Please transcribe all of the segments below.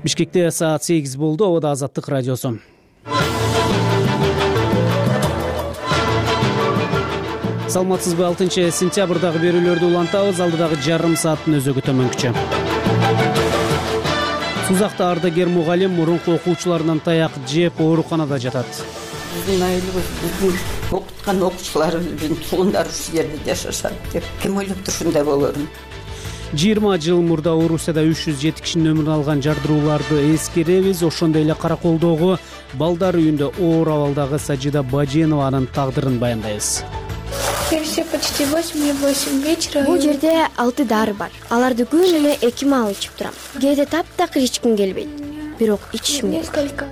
Бишкекте саат 8 болду. Обода Азаттык радиосу. Саламатсызбы? 6-сентябрдагы берүүлөрдү улантабыз. Алдыдагы жарым сааттын өзөгү төмөнкүчө. Сузакта ардагер мугалим мурунку окуучуларынан таяк жеп ооруканада жатат. Биздин айылыбыз, биздин окуткан окуучуларыбыз, биздин туугандар ушул жерде жашашат деп ким ойлоптур ушундай болорун. 20 жыл мурда Орусияда 307 кишинин өмүрүн алган жардырууларды эскеребиз. Ошондой эле Караколдогу балдар үйүндө оор абалдагы Сажида Баженованын тагдырын баяндайбыз. Все почти 8 вечера. Бул жерде 6 дары бар. Аларды күнү эле 2 маал ичип турам. Кээде таптакыр ичким келбейт. Бирок ичишим керек. Несколько.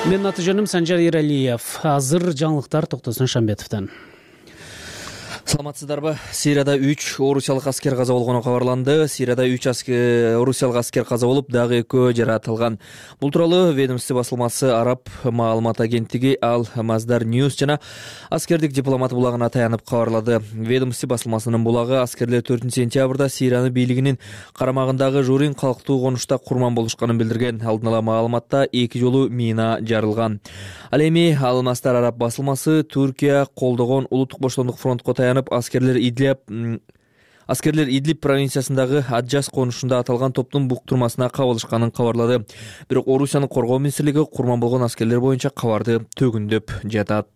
Менин аты жөнүм Санжар Эралиев. Азыр жаңылыктар Токтосун Шамбетовдон. Саламатсыздарбы? Сирияда 3 орусиялык аскер каза болгону кабарланды. Сирияда 3 орусиялык аскер каза болуп, дагы 2 жаракат. Бул тууралуу ведомство басылмасы Араб маалымат агенттиги Ал Маздар Ньюс жана аскердик дипломат булагына таянып кабарлады. Ведомство басылмасынын булагы аскерлер 4-сентябрда Сириянын бийлигинин карамагындагы Журин калктуу конушта курман болушканын билдирген. Алдын ала маалыматта 2 жолу мина жарылган. Ал эми Ал Маздар Араб басылмасы Түркия колдогон Улуттук боштондук фронтко таянып, аскерлер Идлиб провинциясындагы Аджас конушунда аталган топтун буктурмасына кабылышканын кабарлады. Бирок Орусиянын коргоо министрлиги курман болгон аскерлер боюнча кабарды төгүндөп жатат.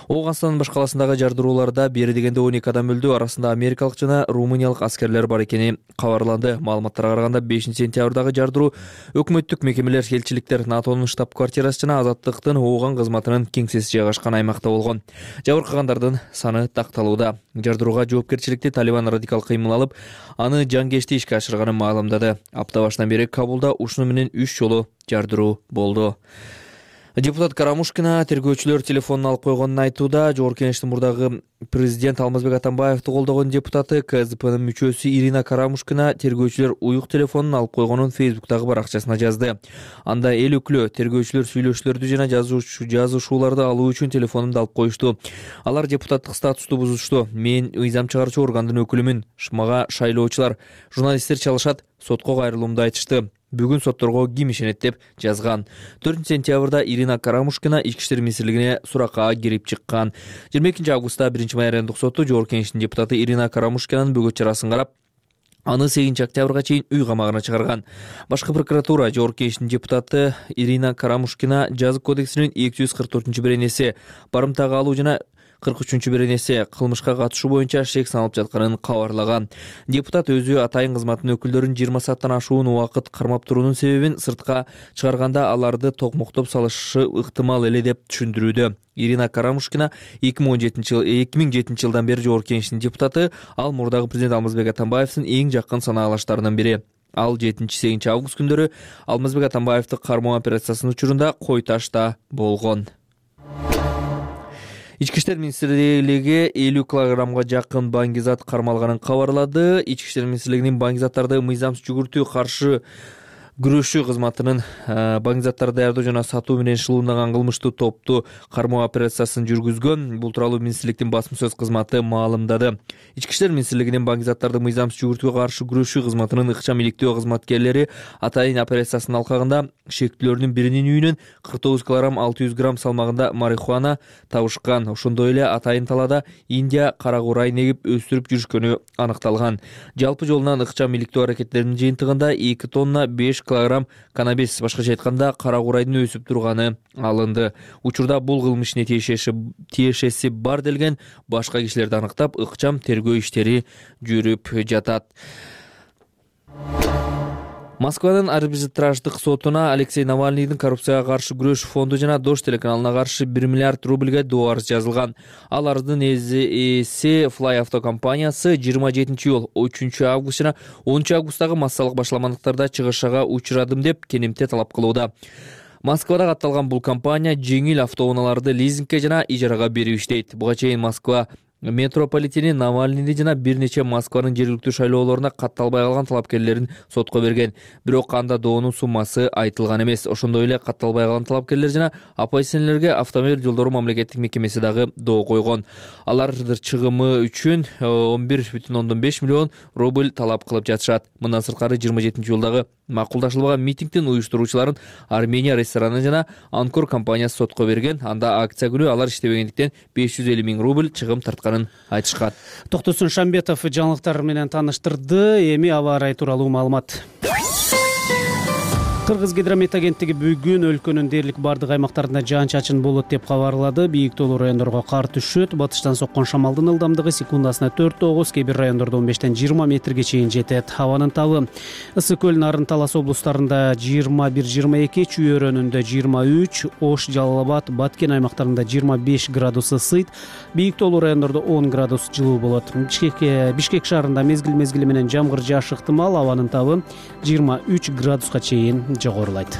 Ооганстандын баш каласындагы жардырууларда бери дегенде 12 адам өлдү. Арасында америкалык жана румыниялык аскерлер бар экени кабарланды. Маалыматтарга караганда 5-сентябрдагы жардыруу өкмөттүк мекемелер, элчиликтер, НАТОнун штаб-квартирасы жана Азаттыктын Ооган кызматынын кеңсеси жайгашкан аймакта болгон. Жабыркагандардын саны такталууда. Жардырууга жоопкерчиликти Талибан радикал кыймыл алып, аны жангечти ишке ашырганын маалымдады. Апта башынан бери Кабулда ушуну менен 3 жолу жардыруу болду. Депутат Карамушкина тергөөчүлөр телефонун алып койгонун айтууда. Жогорку Кеңештин мурдагы президент Алмазбек Атамбаевди колдогон депутаты КСДПнын мүчөсү Ирина Карамушкина тергөөчүлөр уюк телефонун алып койгонун Фейсбуктагы баракчасына жазды. Анда эл өкүлү тергөөчүлөр сүйлөшүүлөрдү жана жазышууларды алуу үчүн телефонумду алып коюшту. Алар депутаттык статусту бузушту. Мен мыйзам чыгаруучу органдын өкүлүмүн. Мага шайлоочулар, журналисттер чалышат, сотко кайрылуумду айтышты. Бүгүн сотторго ким ишенет деп жазган. 4-сентябрда Ирина Карамушкина Ички иштер министрлигине суракка кирип чыккан. 22-августта 1-май райондук соту Жогорку Кеңештин депутаты Ирина Карамушкинанын бөгөт чарасын карап, аны 8-октябрга чейин үй камагына чыгарган. Башкы прокуратура Жогорку Кеңештин депутаты Ирина Карамушкина жазык кодексинин 244-беренеси барымтага алуу жана 43-беренеси кылмышка катышуу боюнча шек саналып жатканын кабарлаган. Депутат өзү атайын кызматтын өкүлдөрүн 20 сааттан ашуун убакыт кармап туруунун себебин сыртка чыгарганда аларды токмоктоп салышы ыктымал эле деп түшүндүрүүдө. Ирина Карамушкина 2007 жылдан бери Жогорку Кеңештин депутаты. Ал мурдагы президент Алмазбек Атамбаевдин эң жакын санаалаштарынын бири. Ал 7-8 август күндөрү Алмазбек Атамбаевди кармоо операциясынын учурунда Кой Ташта болгон. Ички иштер министрлиги 50 килограммга жакын баңгизат кармалганын кабарлады. Ички иштер министрлигинин баңгизаттарды мыйзамсыз жүгүртүүгө каршы күрөшүү кызматынын баңгизаттарды даярдоо жана сатуу менен шылуундаган кылмыштуу топту кармоо операциясын жүргүзгөн. Бул тууралуу министрликтин басма сөз кызматы маалымдады. Ички иштер министрлигинин баңгизаттарды мыйзамсыз жүгүртүүгө каршы күрөшүү кызматынын ыкчам иликтөө кызматкерлери атайын операциясынын алкагында шектүүлөрдүн биринин үйүнөн 49 килограмм 600 грамм салмагында марихуана табышкан. Ошондой эле атайын талаада Индия кара курай негип өстүрүп жүрүшкөнү аныкталган. Жалпы жолунан ыкчам иликтөө аракеттеринин жыйынтыгында 2 тонна 5 килограмм канабис, башкача айтканда кара курайдын өсүп турганы алынды. Учурда бул кылмыштын тиешеси бар делген башка кишилерди аныктап, ыкчам тергөө иштери жүрүп жатат. Москванын арбитраждык сотуна Алексей Навальныйдын коррупцияга каршы күрөш фонду жана Дождь телеканалына каршы 1 миллиард рубльге доо арыз жазылган. Ал арыздын ээси Fly Auto компаниясы 27-июл, 3-август жана 10-августтагы массалык башаламандыктарда чыгышага учурадым деп кенемте талап кылууда. Москвада катталган бул компания жеңил автоунааларды лизингке жана ижарага берип иштейт. Буга чейин Москва Метрополитени Навальныйды жана бир нече Москванын жергиликтүү шайлоолоруна катталбай калган талапкерлерин сотко берген. Бирок анда доонун суммасы айтылган эмес. Ошондой эле катталбай калган талапкерлер жана оппозиционерлерге автомобиль жолдору мамлекеттик мекемеси дагы доо койгон. Алар чыгымы үчүн 11,5 миллион рубль талап кылып жатышат. Мындан сырткары 27-жылдагы макулдашылбаган митингдин уюштуруучуларын Армения рестораны жана Анкор компаниясы сотко берген. Анда акция күнү алар иштебегендиктен 550 миң рубль чыгым тартканын айтышкан. Токтосун Шамбетов жаңылыктар менен тааныштырды. Эми аба ырайы тууралуу маалымат. Кыргыз гидромет агенттиги бүгүн өлкөнүн дээрлик бардык аймактарында жаан-чачын болот деп кабарлады. Бийик тоолуу райондорго кар түшөт. Батыштан соккон шамалдын ылдамдыгы секундасына 4-9, кээ бир райондордо 15-20 метрге чейин жетет. Абанын табы Ысык көл, Нарын Талас облустарында 21-22, Чүй өрөөнүндө 23, Ош, Жалал Абад, Баткен аймактарында 25 градус ысыйт. Бийик тоолуу райондордо 10 градус жылуу болот. Бишкек шаарында мезгил менен жамгыр жаашы ыктымал. Абанын табы 23 градуска чейин жогорулайт.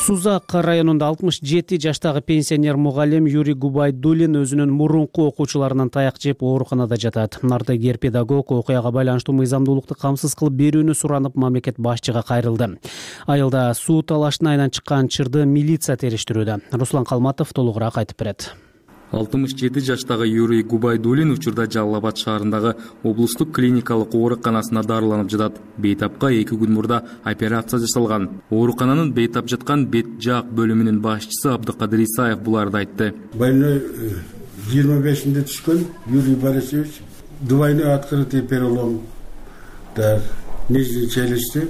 Сузак районунда 67 жаштагы пенсионер мугалим Юрий Губайдулин өзүнүн мурунку окуучуларынан таяк жеп ооруканада жатат. Ардагер педагог окуяга байланыштуу мыйзамдуулукту камсыз кылып берүүнү суранып мамлекет башчыга кайрылды. Айылда суу талашына айнан чыккан чырды милиция териштирүүдө. Руслан Калматов толугураак айтып берет. 67 жаштагы Юрий Губайдулин учурда Жалал Абад шаарындагы облустук клиникалык ооруканасына дарыланып жатат. Бейтапка 2 күн мурда операция жасалган. Оорукананын бейтап жаткан бет жаак бөлүмүнүн башчысы Абдыкадыр Исаев буларды айтты. Больной 25-нде түшкөн Юрий Борисович, двойной открытый перелом нижней челюсти,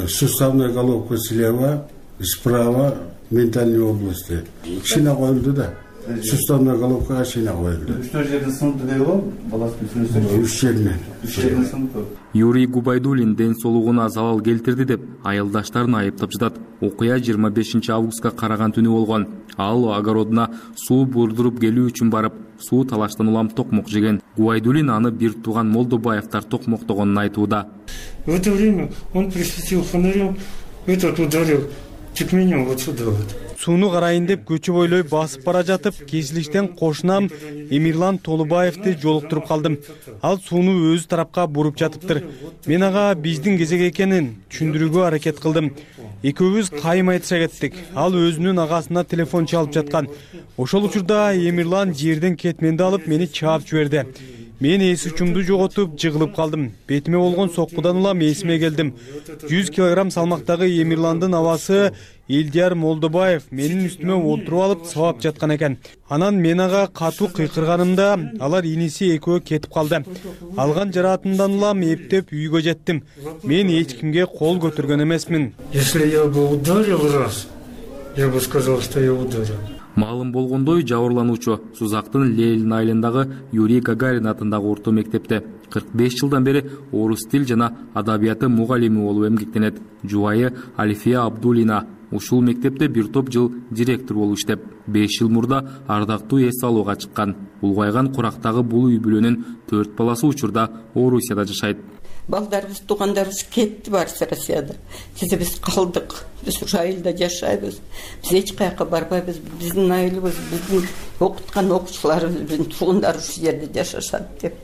суставная головка слева, справа, ментальной области. Шина коюлду да. Суставная головка шина коюлду. Что жерде сынды деп ол? Баласын сүрөсө. Үч жеринен. Юрий Губайдулин ден соолугуна залал келтирди деп айылдаштарын айыптап жатат. Окуя 25 августка караган түнү болгон. Ал огородуна суу бурдуруп келүү үчүн барып, суу талаштан улам токмок жеген. Губайдулин аны бир тууган Молдобаевтар токмоктогонун айтууда. В это время он присветил фонарем, этот ударил чуть меня вот сюда вот. Сууну карайын деп көчө бойлой басып бара жатып, кесилиштен кошунам Эмирлан Толубаевди жолуктуруп калдым. Ал сууну өз тарапка буруп жатыптыр. Мен ага биздин кезек экенин түшүндүрүүгө аракет кылдым. Экөөбүз кайым айтыша кеттик. Ал өзүнүн агасына телефон чалып жаткан. Ошол учурда Эмирлан жерден кетменди алып мени чаап жиберди. Мен эс учумду жоготуп жыгылып калдым. Бетиме болгон соккудан улам эсиме келдим. 100 килограмм салмактагы Эмирландын абасы Элдияр Молдобаев менин үстүмө отуруп алып сабап жаткан экен. Анан мен ага катуу кыйкырганымда алар иниси экөө кетип калды. Алган жараатымдан улам эптеп үйгө жеттим. Мен эч кимге кол көтөргөн эмесмин. Если я бы ударил раз, я бы сказал, что я ударил. Маалым болгондой, жабырлануучу Сузактын Ленин айылындагы Юрий Гагарин атындагы орто мектепте 45 жылдан бери орус тил жана адабияты мугалими болуп эмгектенет. Жубайы Алифия Абдулина ушул мектепте бир топ жыл директор болуп иштеп, 5 жыл мурда ардактуу эс алууга чыккан. Улгайган курактагы бул үй бүлөнүн 4 баласы учурда Орусияда жашайт. Балдарыбыз, туугандарыбыз кетти барысы Россияда. Биз калдык. Биз ушу айылда жашайбыз. Биз эч каяка барбайбыз. Биздин айылыбыз, биздин окуткан окуучуларыбыз, биздин туугандар ушу жерде жашашат деп.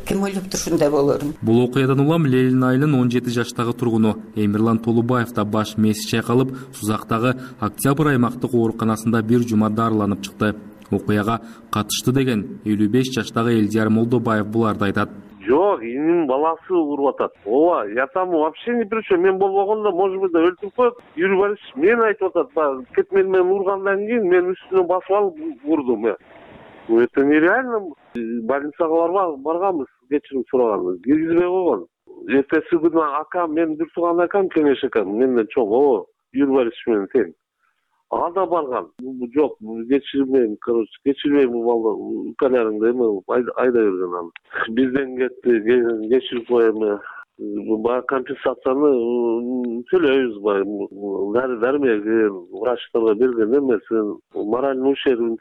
Ким ойлоптур ушундай болорун? Бул окуядан улам Ленин айылынын 17 жаштагы тургуну Эмирлан Толубаев да баш мээси чайкалып, Сузактагы Октябрь аймактык ооруканасында бир жума дарыланып чыкты. Окуяга катышты деген 55 жаштагы Элдияр Молдобаев буларды айтат. Жок, инин баласы уруп атат. Ооба, я там вообще не при чем. Мен болбогондо, может быть, да өлтүрүп коет. Юрий Борисович мен айтып атат, кетмени менен ургандан кийин мен үстүнө басып алып урдум. Это нереально. Больницага барганбыз, кечирим сураганбыз. Киргизбей койгон. Эртеси күнү акам, мен бир тууган акам, Кеңеш акам, менден чоң, Юрий Борисович менен тең. Ага да барган. Жок, кечирмейм, короче, кечирмейм балды. Укаларыңды эме айда берген аны. Бизден кетти, кечирип коем. Баягы компенсацияны төлөйбүз баягы. Дармек врачтарга берген эмесин, моральный ущербин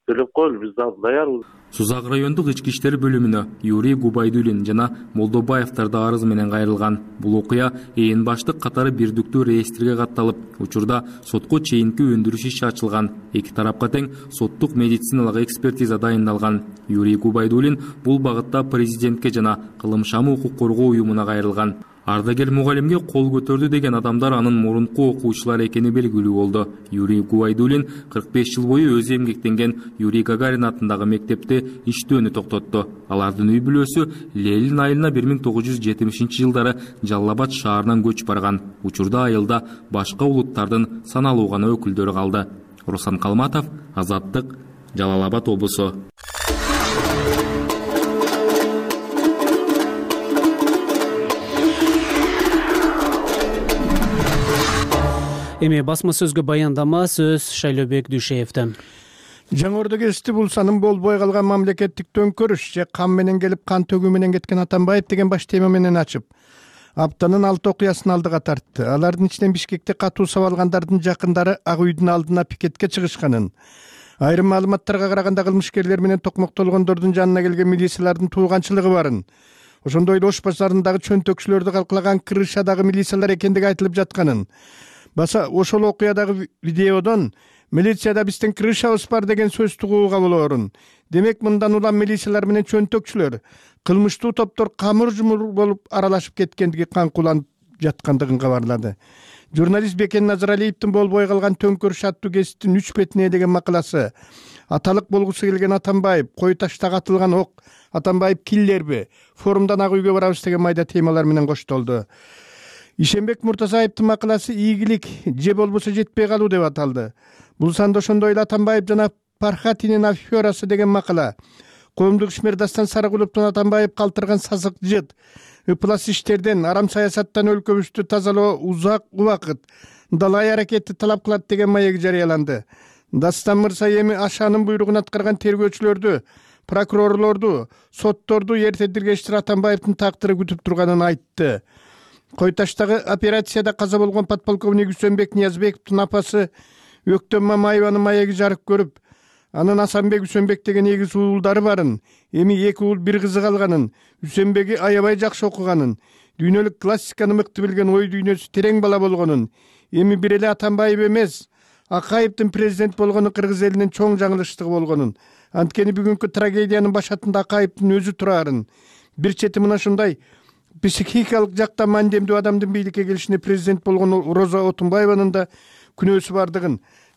төлөп коелу, биз дагы даярбыз. Сузак райондук ички иштер бөлүмүнө Юрий Губайдуллин жана Молдобаевдар да арыз менен кайрылган. Бул окуя ээн баштык катары бирдиктүү реестрге катталып, учурда сотко чейинки өндүрүш иши ачылган. Эки тарапка тең соттук медициналык экспертиза дайындалган. Юрий Губайдуллин бул багытта президентке жана Кылымшамы укук коргоо уюмуна кайрылган. Ардагер мугалимге кол көтөрдү деген адамдар анын мурунку окуучулары экени белгилүү болду. Юрий Губайдуллин 45 жыл бою өзү эмгектенген Юрий Гагарин атындагы мектепте иштөөнү токтотту. Алардын үй бүлөсү Лейлин айылына 1970-жылдары Жалал Абад шаарынан көчүп барган. Учурда айылда башка улуттардын саналуу гана өкүлдөрү калды. Руслан Калматов, Азаттык, Жалал Абад облусу. Эми басма сөзгө баяндама сөз Шайлообек Дүйшеевден. Жаңы Ордо кесипти булсанын болбой калган мамлекеттик төңкөрүш же кан менен келип кан төгүү менен кеткен Атамбаев деген баш тема менен ачып, аптанын 6 окуясын алдыга тартты. Алардын ичинен Бишкекте катуу сабалгандардын жакындары Ак үйдүн алдына пикетке чыгышканын, айрым маалыматтарга караганда кылмышкерлер менен токмоктолгондордун жанына келген милициялардын тууганчылыгы барын, ошондой эле Ош базарындагы чөнтөкчүлөрдү калкалаган крышадагы милициялар экендиги айтылып жатканын, баса ошол окуядагы видеодон милицияда биздин крышабыз бар деген сөз тугууга болоорун. Демек мындан улам милициялар менен чөнтөкчүлөр, кылмыштуу топтор камыр жумур болуп аралашып кеткендиги каңкуланып жаткандыгын кабарлады. Журналист Бекен Назаралиевдин болбой калган төңкөрүш аттуу кесиптин 3 бетине деген макаласы, аталык болгусу келген Атамбаев, кой таштагы атылган ок, Атамбаев киллерби, форумдан Ак үйгө барабыз деген майда темалар менен коштолду. Ишенбек Муртазаевдин макаласы ийгилик же болбосо жетпей калуу деп аталды. Бул санда ошондой эле Атамбаев жана Пархатинин аферасы деген макала. Коомдук ишмер Дастан Сарыгуловдун Атамбаев калтырган сасык жыт, ыплас иштерден, арам саясаттан өлкөбүздү тазалоо узак убакыт далай аракетти талап кылат деген маек жарыяланды. Дастан мырза эми Ашанын буйругун аткарган тергөөчүлөрдү, прокурорлорду, сотторду эрте диргештир Атамбаевдин тактыры күтүп турганын айтты. Койташтагы операцияда каза болгон подполковник Үсөнбек Ниязбековдун апасы Өктөм Мамаеванын маеги жарык көрүп, анын Асанбек Үсөнбек деген эгиз уулдары барын, эми 2 уул 1 кызы калганын, Үсөнбеги аябай жакшы окуганын, дүйнөлүк классиканы мыкты билген ой дүйнөсү терең бала болгонун, эми бир эле Атамбаев эмес, Акаевдин президент болгону кыргыз элинин чоң жаңылыштыгы болгонун, анткени бүгүнкү трагедиянын башатында Акаевдин өзү турарын, бир чети мына ушундай психикалык жактан мандемдүү адамдын бийликке келишине президент болгон Роза Отунбаеванын да күнөөсү бардыгын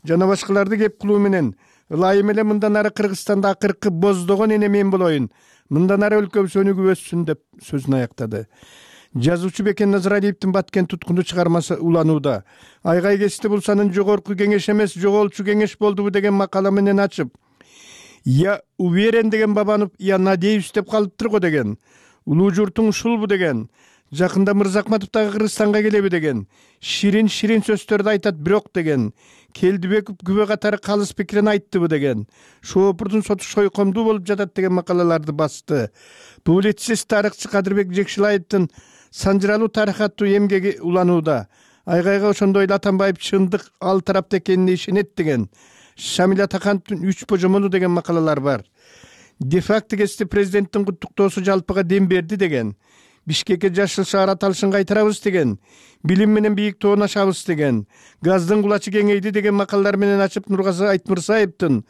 жана башкаларды кеп кылуу менен ылайым эле мындан ары Кыргызстанда акыркы боздогон эне мен болоюн, мындан ары өлкөбүз өнүгүп өссүн деп сөзүн аяктады. Жазуучу Бекен Назаралиевдин Баткен туткуну чыгармасы уланууда. Айгай кести булсанын жогорку кеңеш эмес, жоголчу кеңеш болдубу деген макала менен ачып, я уверен деген Бабанов, я надеюсь деп калыптыр го деген. Улуу журтуң ушулбу деген, жакында Мырзакматов дагы Кыргызстанга келеби деген, ширин сөздөрдү айтат бирок деген, Келдибеков күбө катары калыс пикирин айттыбы деген, Шоопурдун соту шойкомдуу болуп жатат деген макалаларды басты. Публицист тарыхчы Кадырбек Жекшилаевдин Санжыралуу тарых аттуу эмгеги уланууда. Айгайга ошондой эле Атамбаев чындык ал тарапта экенине ишенет деген, Шамиля Такановдун 3 божомону деген макалалар бар. Де-факто кести президенттин куттуктоосу жалпыга дем берди деген, Бишкекке жашыл шаар аталышын кайтарабыз деген, билим менен бийик тоон ашабыз деген, газдын кулачы кеңейди деген макалалар менен ачып Нургазы Айтмырзаевдин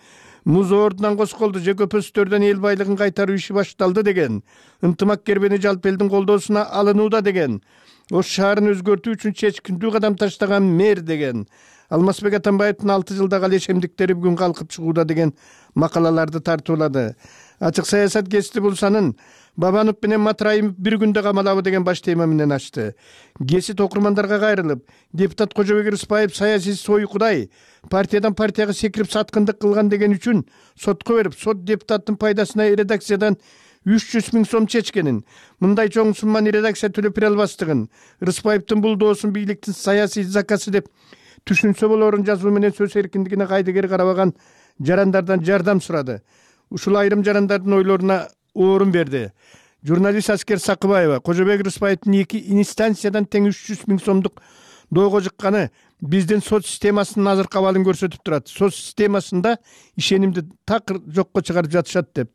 муз ордунан косколду же көпөстөрдөн эл байлыгын кайтаруу иши башталды деген, ынтымак кербени жалпы элдин колдоосуна алынууда деген, Ош шаарын өзгөртүү үчүн чечкиндүү кадам таштаган мэр деген, Алмазбек Атамбаевдин 6 жылдагы алешемдиктери бүгүн калкып чыгууда деген макалаларды тартуулады. Ачык саясат кести булсанын Бабанов менен Матраимов бир күндө камалабы деген баш тема менен ачты. Кесит окурмандарга кайрылып, депутат Кожобек Рыспаев саясий сойкудай, партиядан партияга секирип саткындык кылган деген үчүн сотко берип, сот депутаттын пайдасына редакциядан 300 000 сом чечкенин, мындай чоң сумманы редакция төлөп бере албастыгын, Рыспаевдин бул доосун бийликтин саясий заказы деп түшүнсө болорун жазуу менен сөз эркиндигине кайдыгер карабаган жарандардан жардам сурады. Ушул айрым жарандардын ойлоруна орун берди. Журналист Аскер Сакыбаева Кожобек Рыспаевдин 2 инстанциядан тең 300 000 сомдук доого жыкканы биздин сот системасынын азыркы абалын көрсөтүп турат. Сот системасында ишенимди такыр жокко чыгарып жатышат деп.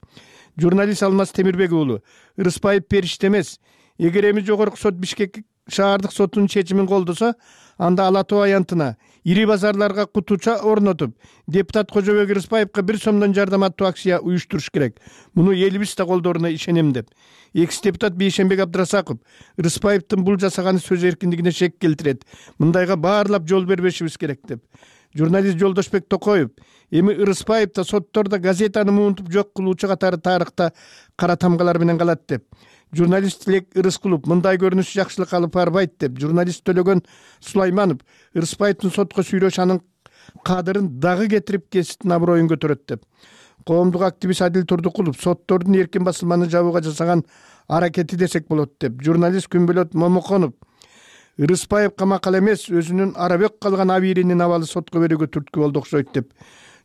Журналист Алмаз Темирбек уулу: Ырыспаев периште эмес. Эгер эми жогорку сот Бишкек шаардык сотунун чечимин колдосо, анда Ала Тоо аянтына, ири базарларга кутуча орнотуп, депутат Кожобек Ырыспаевга 1 сомдон жардам аттуу акция уюштуруш керек. Муну элибиз да колдооруна ишенем деп. Экс-депутат Бейшенбек Абдрасаков: Ырыспаевдин бул жасаганы сөз эркиндигине шек келтирет. Мындайга баарлап жол бербешибиз керек деп. Журналист Жолдошбек Токоев: эми Ырыспаев да соттордо газетаны муунтуп жок кылуучу катары тарыхта кара тамгалар менен калат деп. Журналист Тилек Ырыскулов: мындай көрүнүш жакшылык алып барбайт деп. Журналист Төлөгөн Сулайманов: Ырыспаевдин сотко сүйлөш анын кадырын дагы кетирип кесиптин аброюн көтөрөт деп. Коомдук активист Адил Турдукулов: соттордун эркин басылманы жабууга жасаган аракети десек болот деп. Журналист Күнбөлөт Момоконов: Ырыспаев камакал эмес, өзүнүн арабек калган абийиринин абалы сотко берүүгө түрткү болду окшойт деп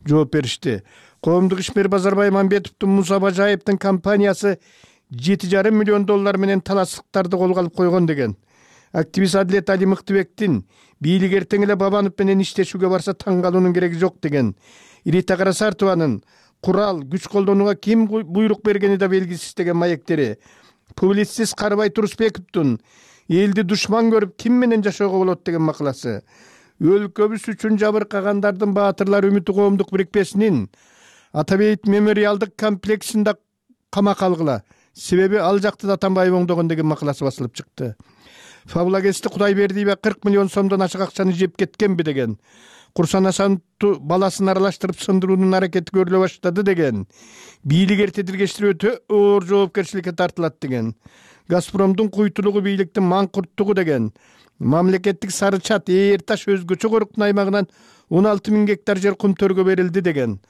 жооп беришти. Коомдук ишмер Базарбай Мамбетовдун Муса Бажаевдин компаниясы $7,5 миллион менен талаштыктарды колго алып койгон деген. Активист Адилет Али Мыктыбектин: бийлик эртең эле Бабанов менен иштешүүгө барса таң калуунун кереги жок деген. Ирита Карасартованын курал, күч колдонууга ким буйрук бергени да белгисиз деген маектери. Публицист Карыбай Турусбековдун элди душман көрүп ким менен жашоого болот деген макаласы. Өлкөбүз үчүн жабыркагандардын баатырлар үмүтү коомдук бирикпесинин Атабейт мемориалдык комплексинде камакка алгыла. Себеби ал жакты да Атамбаев оңдогон деген макаласы басылып чыкты. Фабулагести Кудайбердиева 40 миллион сомдон ашык акчаны жеп кеткенби деген. Курсан Асановду баласын аралаштырып сындыруунун аракети көрүлө баштады деген. Бийлик эрте тиргештирип өтө оор жоопкерчиликке тартылат деген. Газпромдун куйтулугу бийликтин маңкурттугу деген. Мамлекеттик Сары Чат Ээрташ өзгөчө коруктун аймагынан 16 000 гектар жер кум төргө берилди деген.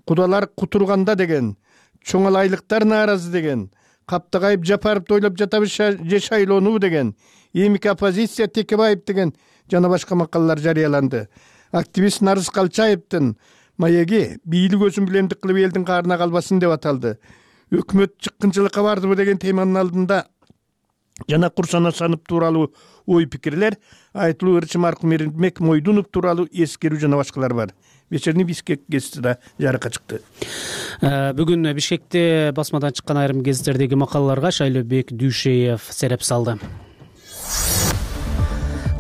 Кудалар кутурганда деген. Чоңал айлыктар нааразы деген. Каптагайып Жапаровду ойлоп жатабыз же шайлоону деген. Эмики оппозиция Текебаев деген жана башка макалалар жарыяланды. Активист Нарыз Калчаевдин маеги бийлик өзүн билемдик кылып элдин каарына калбасын деп аталды. Өкмөт чыккынчылыкка бардыбы деген теманын алдында жана Курсан Асанов тууралуу ой пикирлер, айтылуу ырчы маркум Эрмек Мойдунов тууралуу эскерүү жана башкалар бар. Вечерний Бишкек гезити да жарыкка чыкты. Бүгүн Бишкекте басмадан чыккан айрым гезиттердеги макалаларга Шайлообек Дүйшеев сереп салды.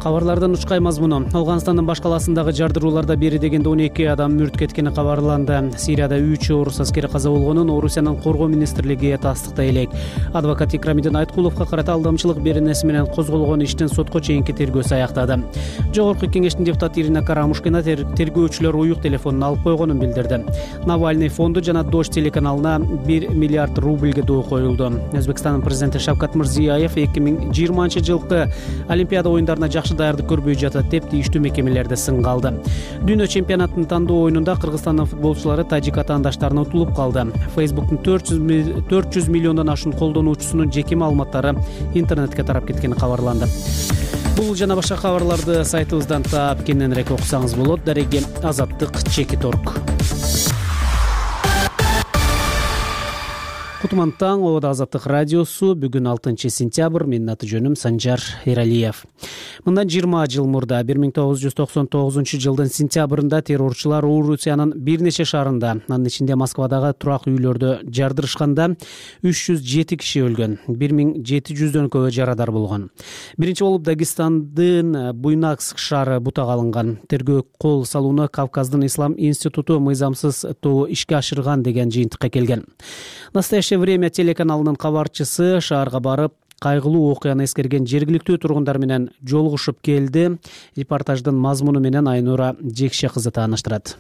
Кабарлардын учкай мазмуну: Афганстандын баш каласындагы жардырууларда бери дегенде 12 адам мүрт кеткени кабарланды. Сирияда 3 орус аскери каза болгонун Орусиянын коргоо министрлиги тастыктай элек. Адвокат Икрамидин Айткуловго карата алдамчылык беренеси менен козголгон иштин сотко чейинки тергөөсү аяктады. Жогорку кеңештин депутаты Ирина Карамушкина тергөөчүлөр уюк телефонун алып койгонун билдирди. Навальный фонду жана Дождь телеканалына 1 миллиард рубльге доо коюлду. Өзбекстандын президенти Шавкат Мирзиёев 2020-жылкы Олимпиада оюндарына жакшы даярдык көрбөй жатат деп тийиштүү мекемелерде сынга алды. Дүйнө чемпионатынын тандоо оюнунда Кыргызстандын футболчулары тажик атаандаштарына утулуп калды. Facebook'тун 400 миллиондон ашуун колдонуучусунун жеке маалыматтары интернетке тарап кеткени кабарланды. Бул жана башка кабарларды сайтыбыздан таап кененирээк окусаңыз болот. Дареги Азаттык Чекиторг. Кутман таң, Обода Азаттык радиосу. Бүгүн 6 сентябрь. Менин аты жөнүм Санжар Эралиев. Мындан 20 жыл мурда 1999 жылдын сентябрында террорчулар Орусиянын бир нече шаарында, анын ичинде Москвадагы турак үйлөрдө жардырышканда 307 киши өлгөн, 1700дөн көбү жарадар болгон. Биринчи болуп Дагестандын Буйнакск шаары бутага алынган. Тергөө кол салууну Кавказдын Ислам институту мыйзамсыз тобу ишке ашырган деген жыйынтыкка келген. Настоящее время телеканалынын кабарчысы шаарга барып, кайгылуу окуяны эскерген жергиликтүү тургундар менен жолугушуп келди. Репортаждын мазмуну менен Айнура Жекше кызы тааныштырат.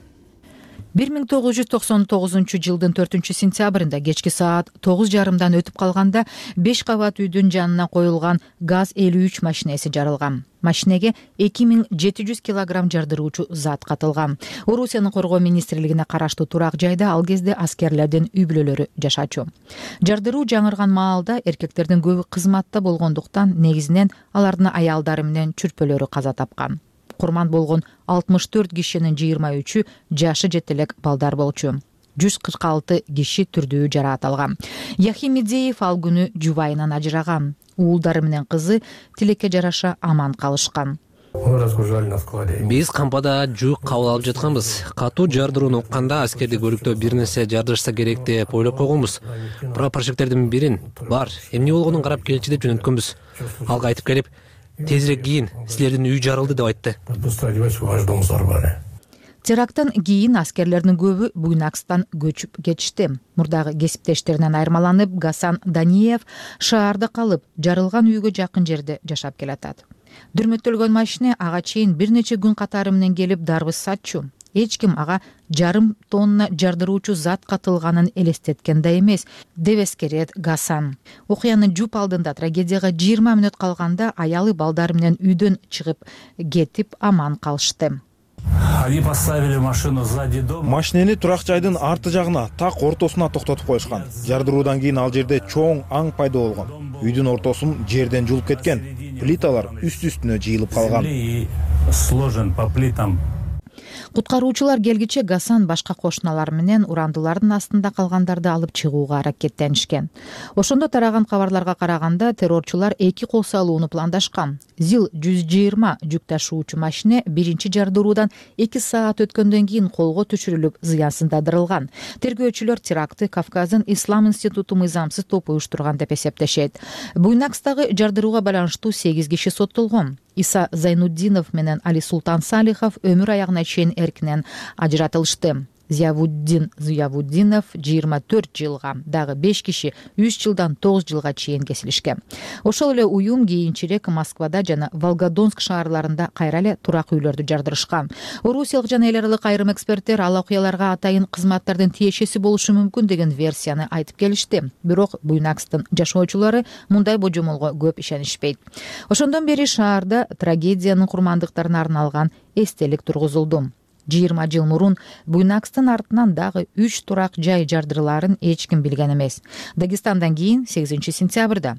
1999 жылдын 4 сентябрында кечки саат 9:30 өтүп калганда 5 кабат үйдүн жанына коюлган ГАЗ-53 машинеси жарылган. Машинеге 2700 килограмм жардыруучу зат катылган. Орусиянын коргоо министрлигине караштуу турак жайда ал кезде аскерлердин үй бүлөлөрү жашачу. Жардыруу жаңырган маалда эркектердин көбү кызматта болгондуктан негизинен алардын аялдары менен чүрпөлөрү каза тапкан. Курман болгон 64 кишинин 23-ü жашы жете элек балдар болчу. 146 киши түрдүү жараат алган. Яхимидзеев ал күнү жубайынан ажыраган. Уулдары менен кызы тилекке жараша аман калышкан. Биз кампада жуук кабыл алып жатканбыз. Катуу жардырууну укканда аскерди көрүктөө бир нерсе жардырышса керек деп ойлоп койгонбуз. Прапорщиктердин бирин бар, эмне болгонун карап келчи деп жөнөткөнбүз. Ал кайтып келип, тезирээк кийин, силердин үй жарылды деп айтты. Теракттан кийин аскерлердин көбү Буйнакстан көчүп кетишти. Мурдагы кесиптештеринен айырмаланып, Гасан Даниев шаарда калып, жарылган үйгө жакын жерде жашап келатат. Дүрмөттөлгөн машина ага чейин бир нече күн катары менен келип дарбыз сатчу. Эч ким ага 1,5 тонна жардыруучу зат катылганын элестеткен да эмес, деп эскерет Гасан. Окуянын жуп алдында трагедияга 20 мүнөт калганда аялы балдары менен үйдөн чыгып кетип аман калышты. Машинени турак жайдын арты жагына, так ортосуна токтотуп коюшкан. Жардыруудан кийин ал жерде чоң аң пайда болгон. Үйдүн ортосун жерден жулуп кеткен. Плиталар үст-үстүнө жыйылып калган. Куткаруучулар келгиче Гасан башка кошуналар менен урандылардын астында калгандарды алып чыгууга аракеттенишкен. Ошондо тараган кабарларга караганда террорчулар 2 кол салууну пландашкан. ЗИЛ-120 жүк ташуучу машина биринчи жардыруудан 2 саат өткөндөн кийин колго түшүрүлүп, зыянсыздандырылган. Тергөөчүлөр терактты Кавказдын Ислам институту мыйзамсыз топу уюштурган деп эсептешет. Буйнакстагы жардырууга байланыштуу 8 киши соттолгон. Иса Зайнуддинов менен Али Султан Салихов өмүр аягына чейин эркинен ажыратылышты. Зиявуддинов 24 жылга, дагы 5 киши 3 жылдан 9 жылга чейин кесилишкен. Ошол эле уюм кийинчерээк Москвада жана Волгодонск шаарларында кайра эле турак үйлөрдү жардырышкан. Орусиялык жана эл аралык айрым эксперттер ал окуяларга атайын кызматтардын тиешеси болушу мүмкүн деген версияны айтып келишти. Бирок Буйнакстын жашоочулары мындай божомолго көп ишенишпейт. Ошондон бери шаарда трагедиянын курмандыктарына арналган эстелик тургузулду. 20 жыл мурун Буйнакстын артынан дагы 3 турак жай жардырыларын эч ким билген эмес. Дагестандан кийин 8 сентябрда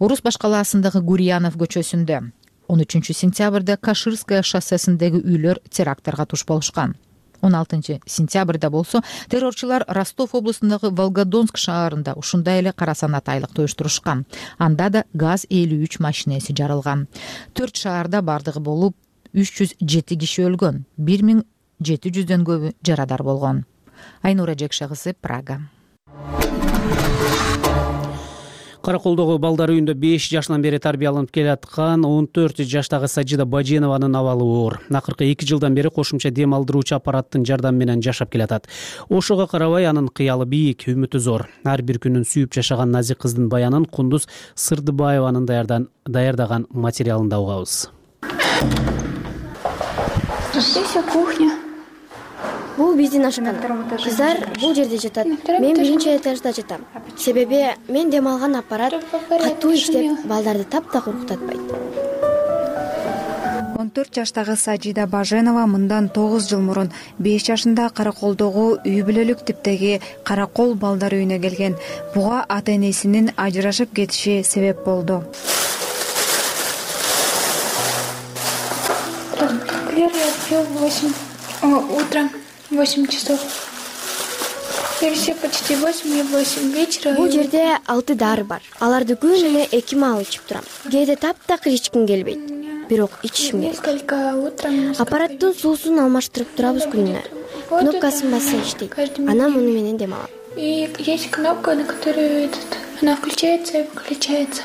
Орус башкалаасындагы Гурьянов көчөсүндө, 13 сентябрда Каширская шоссесиндеги үйлөр терактарга туш болушкан. 16 сентябрда болсо террорчулар Ростов облусундагы Волгодонск шаарында ушундай эле кара санат айлык туюштурушкан. Анда да ГАЗ-53 машинеси жарылган. 4 шаарда бардыгы болуп 307 киши өлгөн, 1700дөн көбү жарадар болгон. Айнура Жекшагысы, Прага. Караколдогу балдар үйүндө 5 жашынан бери тарбияланып келаткан 14 жаштагы Сажида Баженованын абалы оор. Акыркы 2 жылдан бери кошумча дем алдыруучу аппараттын жардамы менен жашап келатат. Ошого карабай анын кыялы бийик, үмүтү зор. Ар бир күнүн сүйүп жашаган назик кыздын баянын Кундуз Сырдыбаеванын даярдаган материалында угабыз. Здесь кухня. Бул биздин ашкана. Кыздар бул жерде жатат. Мен биринчи этажда жатам. Себеби мен дем алган аппарат катуу иштеп, балдарды таптак урктатпайт. 14 жаштагы Сажида Баженова мындан 9 жыл мурун 5 жашында Караколдогу үй бүлөлүк типтеги Каракол балдар үйүнө келген. Буга ата-энесинин ажырашып кетиши себеп болду. Я пью утром 8 часов. И все почти 8 вечера. Бул жерде 6 дары бар. Аларды күнүнө 2 маал ичип турам. Кээде таптакыр ичким келбейт. Бирок ичишим керек. Несколько утром. Аппараттын суусун алмаштырып турабыз күнүнө. Кнопкасын басса иштейт. Анан муну менен дем алам. И есть кнопка, на которую она включается и выключается.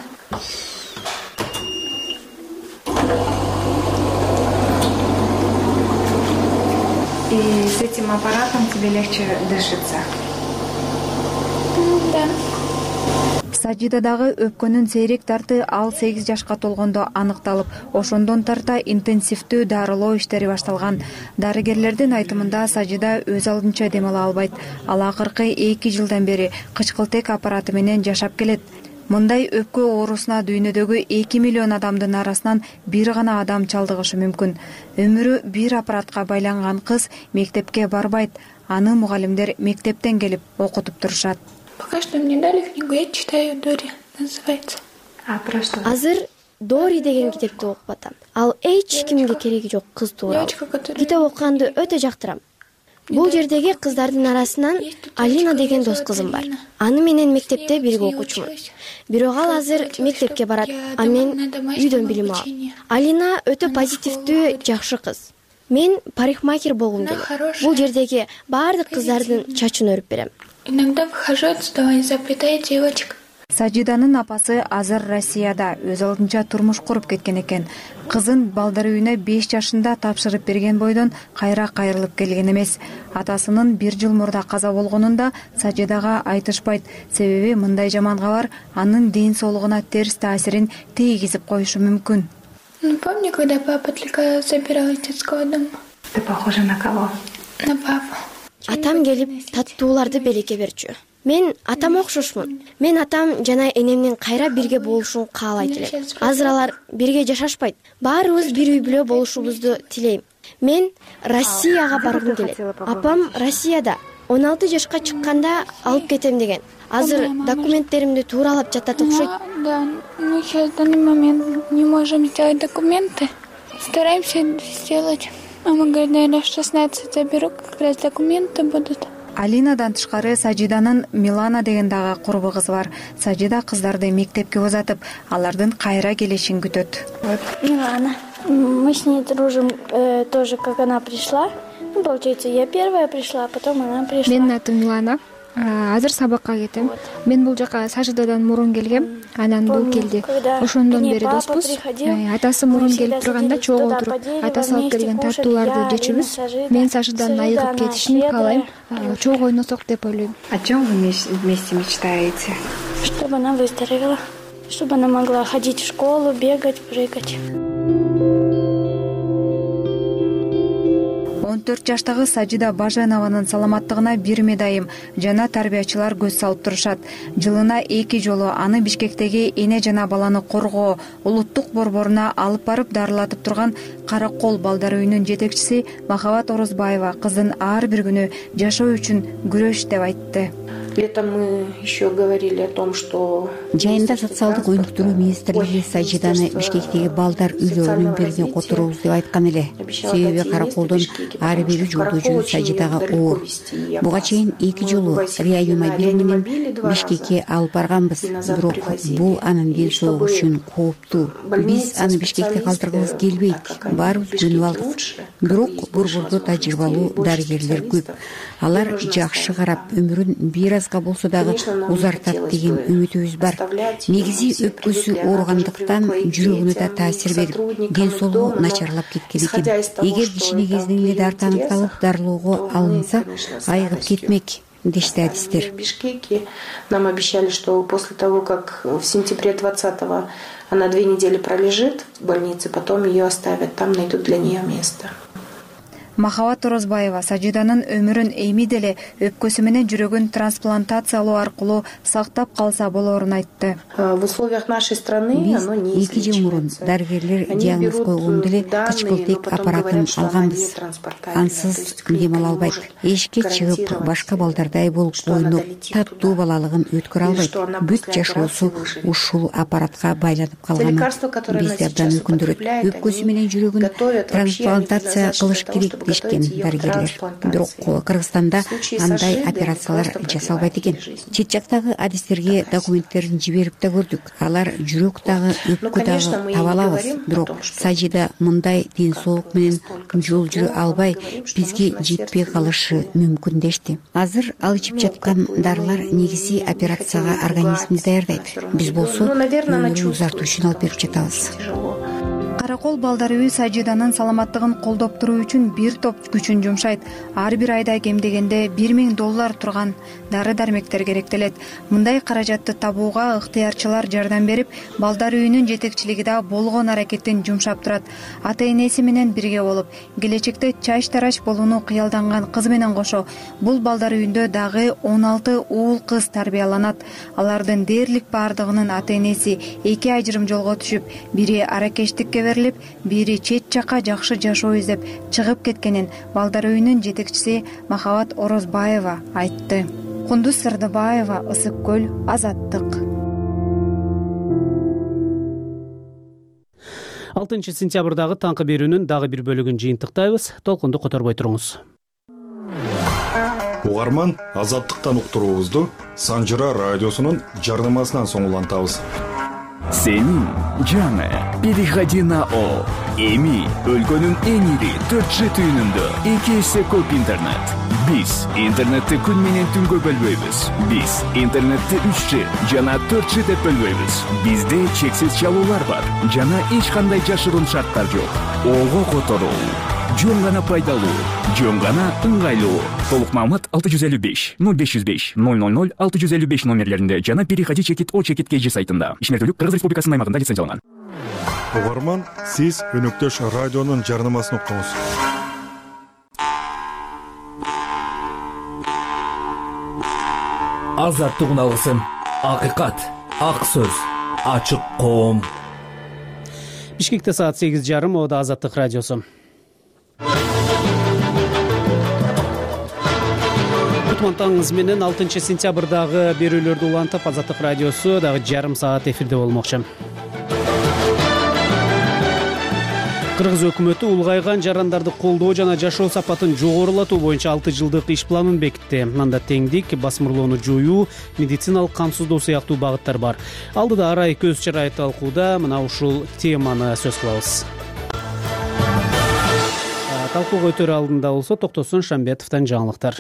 И с этим аппаратом тебе легче дышится? Да. Сажидадагы өпкөнүн сейрек тарты ал 8 жашка толгондо аныкталып, ошондон тарта интенсивдүү дарылоо иштери башталган. Дарыгерлердин айтымында Сажида өз алдынча дем ала албайт. Ал акыркы 2 жылдан бери кычкылтек аппараты менен жашап келет. Мындай өпкө оорусуна дүйнөдөгү 2 миллион адамдын арасынан бир гана адам чалдыгышы мүмкүн. Өмүрү бир аппаратка байланган кыз мектепке барбайт. Аны мугалимдер мектептен келип окутуп турушат. Пока что мне дали книгу, я читаю Дори, называется. А про что? Азыр Дори деген китепти окуп атам. Ал эч кимге кереги жок кыз тууралуу. Китеп окуганды өтө жактырам. Бул жердеги кыздардын арасынан Алина деген дос кызым бар. Аны менен мектепте бирге окучумун. Бирок ал азыр мектепке барат, а мен үйдөн билим алам. Алина өтө позитивдүү, жакшы кыз. Мен парикмахер болгум келет. Бул жердеги баардык кыздардын чачын өрүп берем. Иногда выхожу отсюда и заплетаю девочек. Сажиданын апасы азыр Россияда өз алдынча турмуш куруп кеткен экен. Кызын балдар үйүнө 5 жашында тапшырып берген бойдон кайра кайрылып келген эмес. Атасынын 1 жыл мурда каза болгонун да Сажидага айтышпайт. Себеби мындай жаман кабар анын ден соолугуна терс таасирин тийгизип коюшу мүмкүн. Ну, помню, когда папа только забирал из детского дома. Ты похожа на кого? На папу. Атам келип таттууларды белекке берчү. Мен атам окшошмун. Мен атам жана энемдин кайра бирге болушун каалайт элем. Азыр алар бирге жашашпайт. Баарыбыз бир үй бүлө болушубузду тилейм. Мен Россияга баргым келет. Апам Россияда 16 жашка чыкканда алып кетем деген. Азыр документтеримди тууралап жатат окшойт. Да, мы сейчас в данный момент не можем сделать документы. Стараемся сделать. Мама говорит, наверное, в 16 заберу, как раз документы будут. Алинадан тышкары Сажиданын Милана деген дагы курбу кызы бар. Сажида кыздарды мектепке узатып, алардын кайра келишин күтөт. Милана. Мы с ней дружим тоже, как она пришла. Ну, получается, я первая пришла, а потом она пришла. Менин атым Милана. Азыр сабакка кетем. Мен бул жака Сажидадан мурун келгем, анан бул келди. Ошондон бери доспуз. Атасы мурун келип турганда чогуу отуруп, атасы алып келген тартууларды жечүбүз. Мен Сажиданын айыгып кетишин каалайм. Чогуу ойносок деп ойлойм. О чем вы вместе мечтаете? Чтобы она выздоровела, чтобы она могла ходить в школу, бегать, прыгать. 14 жаштагы Сажида Баженованын саламаттыгына бир медайым жана тарбиячылар көз салып турушат. Жылына 2 жолу аны Бишкектеги эне жана баланы коргоо улуттук борборуна алып барып дарылатып турган Каракол балдар үйүнүн жетекчиси Махабат Орозбаева кыздын ар бир күнү жашоо үчүн күрөш деп айтты. Летом мы еще говорили о том, что жайында социалдык өнүктүрүү министрлиги Сажиданы Бишкектеги балдар үйлөрүнүн бирине которобуз деп айткан эле. Себеби Караколдон ар бир жолдо жүрүп Сажидага оор. Буга чейин 2 жолу реанимобиль менен Бишкекке алып барганбыз. Бирок бул анын ден соолугу үчүн кооптуу. Биз аны Бишкекте калтыргыбыз келбейт. Баарыбыз көнүп алдык. Бирок борбордо тажрыйбалуу дарыгерлер көп. Алар жакшы карап, өмүрүн бир азга болсо дагы узартат деген үмүтүбүз бар. Негизи өпкөсү ооругандыктан жүрөгүнө да таасир берип, ден соолугу начарлап кеткен экен. Эгер кичине кезинен эле дарт аныкталып, дарылоого алынса, айыгып кетмек дешти адистер. Нам обещали, что после того, как в сентябре 20-го она 2 недели пролежит в больнице, потом ее оставят, там найдут для нее место. Махабат Орозбаева Сажиданын өмүрүн эми деле өпкөсү менен жүрөгүн трансплантациялоо аркылуу сактап калса болорун айтты. В условиях нашей страны оно не излечивается. 2 жыл мурун дарыгерлер диагноз койгондо эле кычкылтек аппаратын алганбыз. Ансыз дем ала албайт. Эшикке чыгып, башка балдардай болуп ойноп, таттуу балалыгын өткөрө албайт. Бүт жашоосу ушул аппаратка байланып калган. Бизди абдан өкүндүрөт. Өпкөсү менен жүрөгүн трансплантация кылыш керек дешкен дарыгерлер. Бирок Кыргызстанда андай операциялар жасалбайт экен. Чет жактагы адистерге документтерин жиберип да көрдүк. Алар жүрөк дагы, өпкө дагы таба алабыз. Бирок Сажида мындай ден соолук менен жол жүрө албай, бизге жетпей калышы мүмкүн дешти. Азыр ал ичип жаткан дарылар негизи операцияга организмди даярдайт. Биз болсо өмүрүн узартуу үчүн алып берип жатабыз. Каракол балдар үйү Сажиданын саламаттыгын колдоп туруу үчүн бир топ күчүн жумшайт. Ар бир айда кем дегенде $1000 турган дары-дармектер керектелет. Мындай каражатты табууга ыктыярчылар жардам берип, балдар үйүнүн жетекчилиги да болгон аракеттин жумшап турат. Ата-энеси менен бирге болуп, келечекте чач-тарач болууну кыялданган кыз менен кошо бул балдар үйүндө дагы 16 уул кыз тарбияланат. Алардын дээрлик баардыгынын ата-энеси 2 ажырым жолго түшүп, бири аракештикке берилип, бири чет жака жакшы жашоо издеп чыгып кеткенин балдар үйүнүн жетекчиси Махабат Орозбаева айтты. Кундуз Сырдыбаева, Ысык көл, Азаттык. 6 сентябрдагы таңкы берүүнүн дагы бир бөлүгүн жыйынтыктайбыз. Толкунду которбой туруңуз. угарман Азаттыктан уктуруубузду Санжыра радиосунун жарнамасынан соң улантабыз. Сенин жаңы переходи на О. Эми өлкөнүн эң ири 4G түйүнүндө 2 эсе көп интернет. Биз интернетти күн менен түнгө бөлбөйбүз. Биз интернетти 3G жана 4G деп бөлбөйбүз. Бизде чексиз чалуулар бар жана эч кандай жашыруун шарттар жок. Ого которуу, жөн гана пайдалуу, жөн гана ыңгайлуу. Толук маалымат 655 0505 000 655 номерлеринде жана переходи чекит О чекит KG сайтында. Ишмердүүлүк Кыргыз Республикасынын аймагында лицензияланган. Угарман, сиз өнөктөш радионун жарнамасын уктуңуз. Азаттык алгысын, акыйкат, ак сөз, ачык коом. Бишкекте саат 8:30, ода Азаттык радиосу. Таңыңыз менен 6 сентябрдагы берүүлөрдү улантып, Азаттык радиосу дагы жарым саат эфирде болмокчу. Кыргыз өкмөтү улгайган жарандарды колдоо жана жашоо сапатын жогорулатуу боюнча 6 жылдык иш планын бекитти. Анда теңдик, басмырлоону жоюу, медициналык камсыздоо сыяктуу багыттар бар. Алдыда арай көз чырай талкууда мына ушул теманы сөз кылабыз. Талкууга өтөр алдында болсо Токтосун Шамбетовдон жаңылыктар.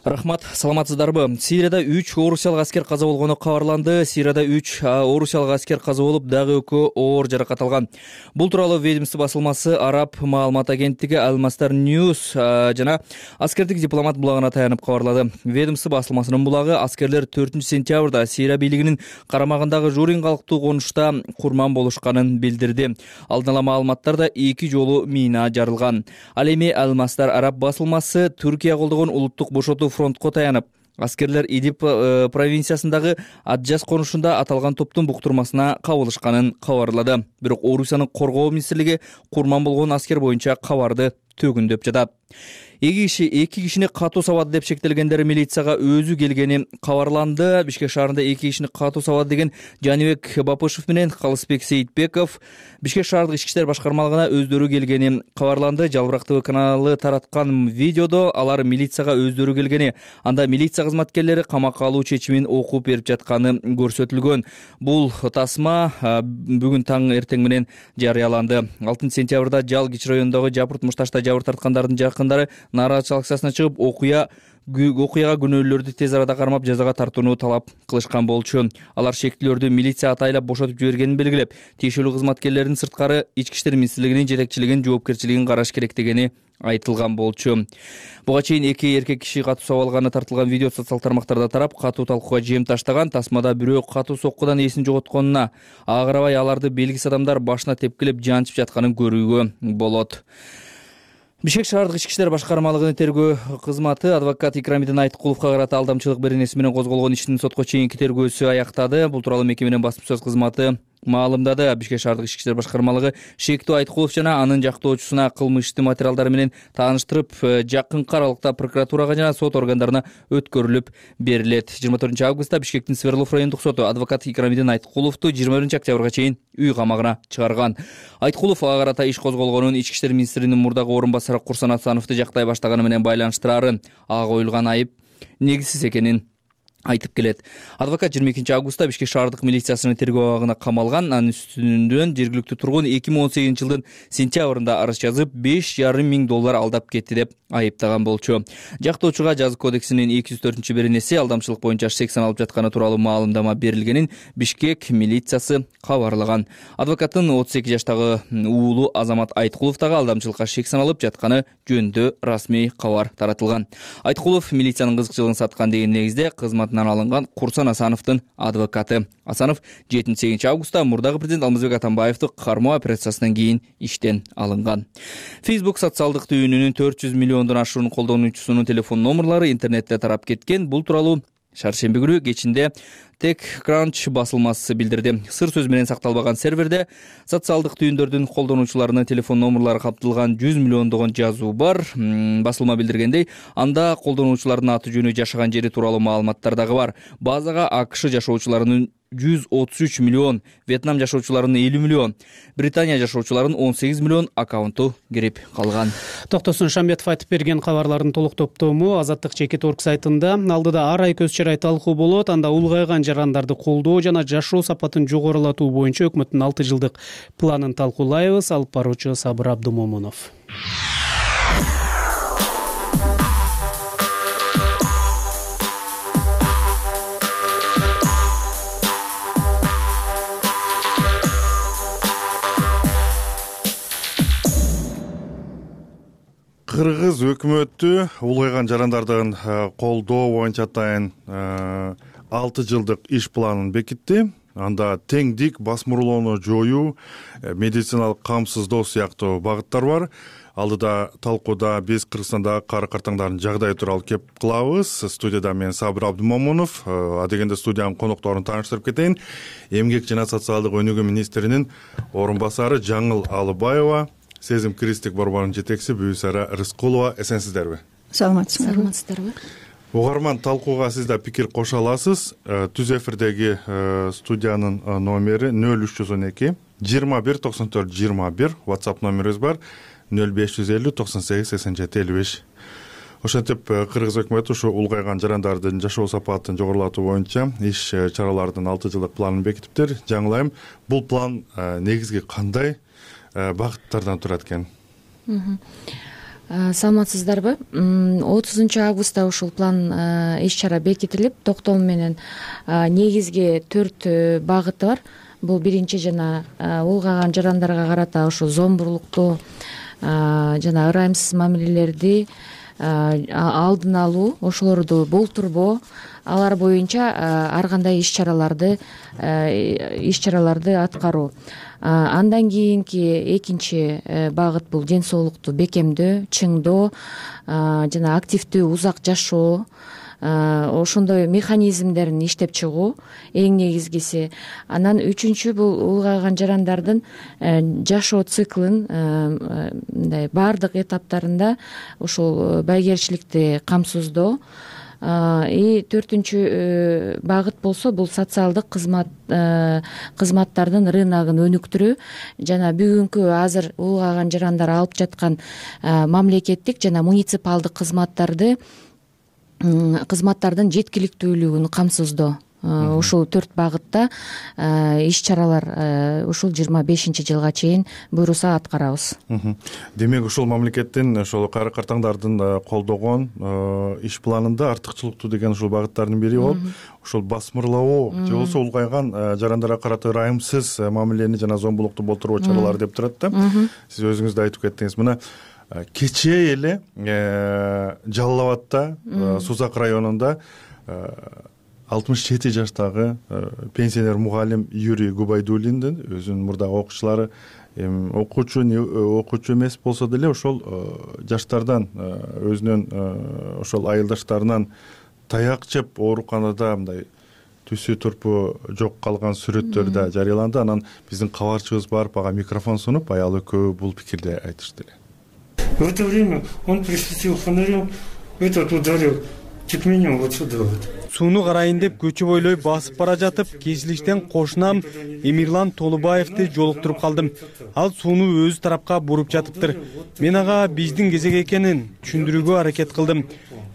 Рахмат, саламатсыздарбы? Сирияда 3 орусиялык аскер каза болгону кабарланды. Сирияда 3 орусиялык аскер каза болуп, дагы 2 оор жаракат алган. Бул тууралуу ведомство басылмасы Араб маалымат агенттиги Al-Masdar News жана аскердик дипломат булагына таянып кабарлады. Ведомство басылмасынын булагы аскерлер 4 сентябрда Сирия бийлигинин карамагындагы Журин калктуу конушта курман болушканын билдирди. Алдын ала маалыматтарда 2 жолу мина жарылган. Ал эми Al-Masdar Араб басылмасы Түркия колдогон улуттук бошотуу фронтко таянып, аскерлер Идиб провинциясындагы Аджас конушунда аталган топтун буктурмасына кабылышканын кабарлады. Бирок Орусиянын коргоо министрлиги курман болгон аскер боюнча кабарды төгүндөп жатат. Эки кишини катуу сабады деп шектелгендер милицияга өзү келгени кабарланды. Бишкек шаарында 2 кишини катуу сабады деген Жаныбек Бапышев менен Калысбек Сейитбеков Бишкек шаардык ички иштер башкармалыгына өздөрү келгени кабарланды. Жалбырак ТВ каналы тараткан видеодо алар милицияга өздөрү келгени, анда милиция кызматкерлери камакка алуу чечимин окуп берип жатканы көрсөтүлгөн. Бул тасма бүгүн таң эртең менен жарыяланды. 6 сентябрда Жалгич районундагы Жапырт Мушташта жабыр тарткандардын жакындары нааразычылык акциясына чыгып, окуяга күнөөлөрдү тез арада кармап жазага тартууну талап кылышкан болчу. Алар шектилердү милиция атайлап бошотуп жибергенин белгилеп, тиешелүү кызматкерлердин сырткары ички иштер министрлигинин жетекчилигин жоопкерчилигин караш керек дегени айтылган болчу. Буга чейин 2 эркек киши катуу сабалганы тартылган видео социал тармактарда тарап, катуу талкууга жем таштаган. Тасмада бирөө катуу соккудан эсин жоготконуна, агырабай аларды белгисиз адамдар башына тепкилеп жанчып жатканын көрүүгө болот. Бишкек шаардык ички иштер башкармалыгынын тергөө кызматы адвокат Икрамидин Айткуловго карата алдамчылык беренеси менен козголгон иштин сотко чейинки тергөөсү аяктады. Бул тууралуу мекеменин басма сөз кызматы маалымдады. Бишкек шаардык ички иштер башкармалыгы Шектүү Айткулов жана анын жактоочусуна кылмыштын материалдары менен тааныштырып, жакынкы аралыкта прокуратурага жана сот органдарына өткөрүлүп берилет. 24 августта Бишкектин Сверлов райондук соту адвокат Икрамидин Айткуловду 21 октябрга чейин үй камагына чыгарган. Айткулов ага карата иш козголгонун ички иштер министринин мурдагы орун басары Курсан Асановду жактай баштаганы менен байланыштырарын, ага коюлган айып негизсиз экенин айтып келет. Адвокат 22 августта Бишкек шаардык милициясынын тергөө абагына камалган. Анын үстүнөн жергиликтүү тургун 2018 жылдын сентябрында арыз жазып, $5,500 алдап кетти деп айыптаган болчу. Жактоочуга жазык кодексинин 204 беренеси алдамчылык боюнча сексен алып жатканы тууралуу маалымдама берилгенин Бишкек милициясы кабарлаган. Адвокаттын 32 жаштагы уулу Азамат Айткулов дагы алдамчылыкка сексен алып жатканы жөнүндө расмий кабар таратылган. Айткулов милициянын кызыкчылыгын саткан деген негизде кызматынан алынган Курсан Асановдун адвокаты. Асанов 7 августта мурдагы президент Алмазбек Атамбаевди кармоо операциясынан кийин иштен алынган. Facebook социалдык түйүнүнүн 400 миллиондон ашуун колдонуучусунун телефон номерлары интернетте тарап кеткен. Бул тууралуу шаршемби күнү кечинде TechCrunch басылмасы билдирди. Сыр сөз менен сакталбаган серверде социалдык түйүндөрдүн колдонуучуларынын телефон номерлары каптылган 100 миллиондогон жазуу бар. Басылма билдиргендей, анда колдонуучулардын аты жөнү, жашаган жери тууралуу маалыматтар дагы бар. Базага АКШ жашоочуларынын 133 миллион, Вьетнам жашоочуларынын 50 миллион, Британия жашоочуларынын 18 миллион аккаунту кирип калган. Токтосун Шамбетов айтып берген кабарлардын толук топтому Азаттык Чекит.org сайтында. Алдыда ар ай көз чарай талкуу болот. Анда улгайган жарандарды колдоо жана жашоо сапатын жогорулатуу боюнча өкмөттүн 6 жылдык планын талкуулайбыз. Алып баруучу Сабыр Абдумомунов. Кыргыз өкмөтү улгайган жарандардын колдоо боюнча атайын 6 жылдык иш планын бекитти. Анда теңдик, басмырлоону жоюу, медициналык камсыздоо сыяктуу багыттар бар. Алдыда талкууда биз Кыргызстандагы кары картаңдардын жагдайы тууралуу кеп кылабыз. Студияда мен Сабыр Абдумомунов. Адегенде студиянын конокторун тааныштырып кетейин. Эмгек жана социалдык өнүгүү министринин орун басары Жаңыл Алыбаева, Сезим Кристик борборунун жетекчиси Бүйүсара Рыскулова. Эсенсиздерби? Саламатсыздарбы? Угарман, талкууга сиз да пикир кошо аласыз. Түз эфирдеги студиянын номери 0312 21 94 21, WhatsApp номерибиз бар 0550 98 87 55. Ошентип Кыргыз өкмөтү ушу улгайган жарандардын жашоо сапатын жогорулатуу боюнча иш чаралардын 6 жылдык планын бекитиптир. Жаңылайым, бул план негизги кандай багыттардан турат экен? Саламатсыздарбы? 30 августта ушул план иш чара бекитилип, токтом менен негизги 4 багыты бар. Бул биринчи жана улгайган жарандарга карата ошо зомбурлукту жана ырайымсыз мамилелерди алдын алуу, ошолорду болтурбоо, алар боюнча ар кандай иш чараларды аткаруу. Андан кийинки экинчи багыт бул ден соолукту бекемдөө, чыңдоо жана активдүү узак жашоо, ошондой механизмдерин иштеп чыгуу эң негизгиси. Анан үчүнчү бул улгайган жарандардын жашоо циклын мындай баардык этаптарында ошол байгерчиликти камсыздоо. И төртүнчү багыт болсо бул социалдык кызматтардын рыногун өнүктүрүү жана бүгүнкү азыр улгайган жарандар алып жаткан мамлекеттик жана муниципалдык кызматтардын жеткиликтүүлүгүн камсыздоо. Ушул 4 багытта иш чаралар ушул 25-жылга чейин буйруса аткарабыз. Демек ушул мамлекеттин ошол кары картаңдардын колдогон иш планында артыкчылыктуу деген ушул багыттардын бири болуп, ушул басмырлоо же болбосо улгайган жарандарга карата ырайымсыз мамилени жана зомбулукту болтуруу чаралары деп турат да. Сиз өзүңүз да айтып кеттиңиз. Мына кечээ эле Жалал Абадта, Сузак районунда 67 жаштагы пенсионер мугалим Юрий Губайдуллиндин өзүнүн мурдагы окуучулары окуучу эмес болсо деле ошол жаштардан өзүнүн ошол айылдаштарынан таяк жеп ооруканада мындай түсү турпу жок калган сүрөттөр да жарыяланды. Анан биздин кабарчыбыз барып ага микрофон сунуп, аялы экөө бул пикирди айтышты эле. В это время он присветил фонарем, этот ударил чуть меня вот сюда вот. Сууну карайын деп көчө бойлой басып бара жатып, кесилиштен кошунам Эмирлан Толубаевди жолуктуруп калдым. Ал сууну өз тарапка буруп жатыптыр. Мен ага биздин кезек экенин түшүндүрүүгө аракет кылдым.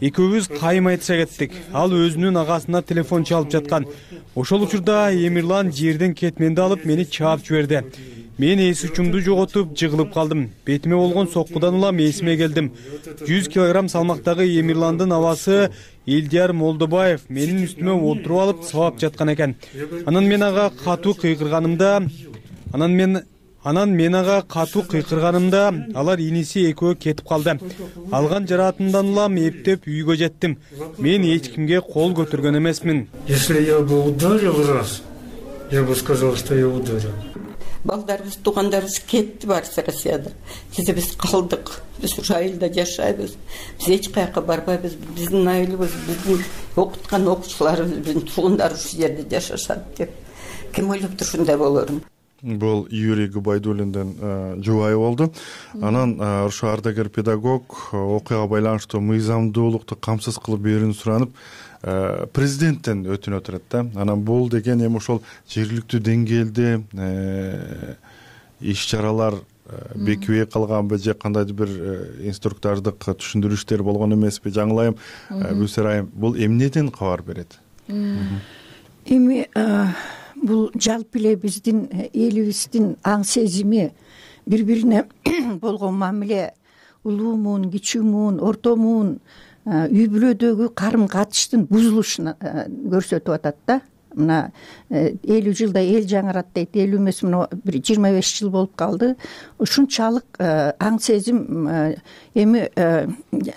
Экөөбүз кайым айтыша кеттик. Ал өзүнүн агасына телефон чалып жаткан. Ошол учурда Эмирлан жерден кетменди алып мени чаап жиберди. Мен эс учумду жоготуп жыгылып калдым. Бетиме болгон соккудан улам эсиме келдим. 100 килограмм салмактагы Эмирландын абасы Элдияр Молдобаев менин үстүмө олтуруп алып сабап жаткан экен. Анан мен ага катуу кыйкырганымда алар иниси экөө кетип калды. Алган жараатымдан улам эптеп үйгө жеттим. Мен эч кимге кол көтөргөн эмесмин. Если я бы ударил раз, я бы сказал, что я ударил. Балдарыбыз, туугандарыбыз кетти барысы Россияда. Кезе биз калдык. Биз ушу айылда жашайбыз. Биз эч каяка барбайбыз. Биздин айылыбыз, биздин окуткан окуучуларыбыз, биздин туугандар ушу жерде жашашат деп. Ким ойлоптур ушундай болорун? Бул Юрий Губайдуллиндин жубайы болду. Анан ушу ардагер педагог окуяга байланыштуу мыйзамдуулукту камсыз кылып берүүнү суранып, президенттен өтүнүп турат да. Анан бул деген эми ошол жергиликтүү деңгээлде иш чаралар бекибей калганбы же кандайдыр бир инструктордук түшүндүрүштөр болгон эмеспи? Жаңылайым, Бүсер айым, бул эмнеден кабар берет? Эми бул жалпы эле биздин элибиздин аң сезими, бири бирине болгон мамиле, улуумун, кичүүмүн, ортомун, үй бүлөдөгү карым катыштын бузулушун көрсөтүп атат да. Мына 50 жылда эл жаңырат дейт, 50 эмес, мына бир 25 жыл болуп калды. Ушунчалык аң сезим эми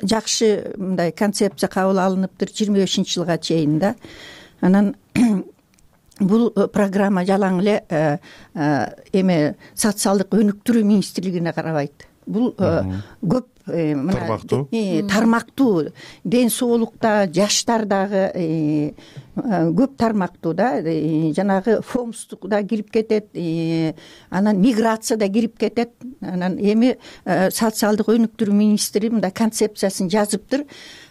жакшы мындай концепция кабыл алыныптыр 25-жылга чейин да. Анан бул программа жалаң эле эми социалдык өнүктүрүү министрлигине карабайт. Бул көп тармактуу, ден соолукта, жаштардагы көп тармактуу да, жанагы фомстук да кирип кетет, анан миграция да кирип кетет. Анан эми социалдык өнүктүрүү министри мындай концепциясын жазыптыр.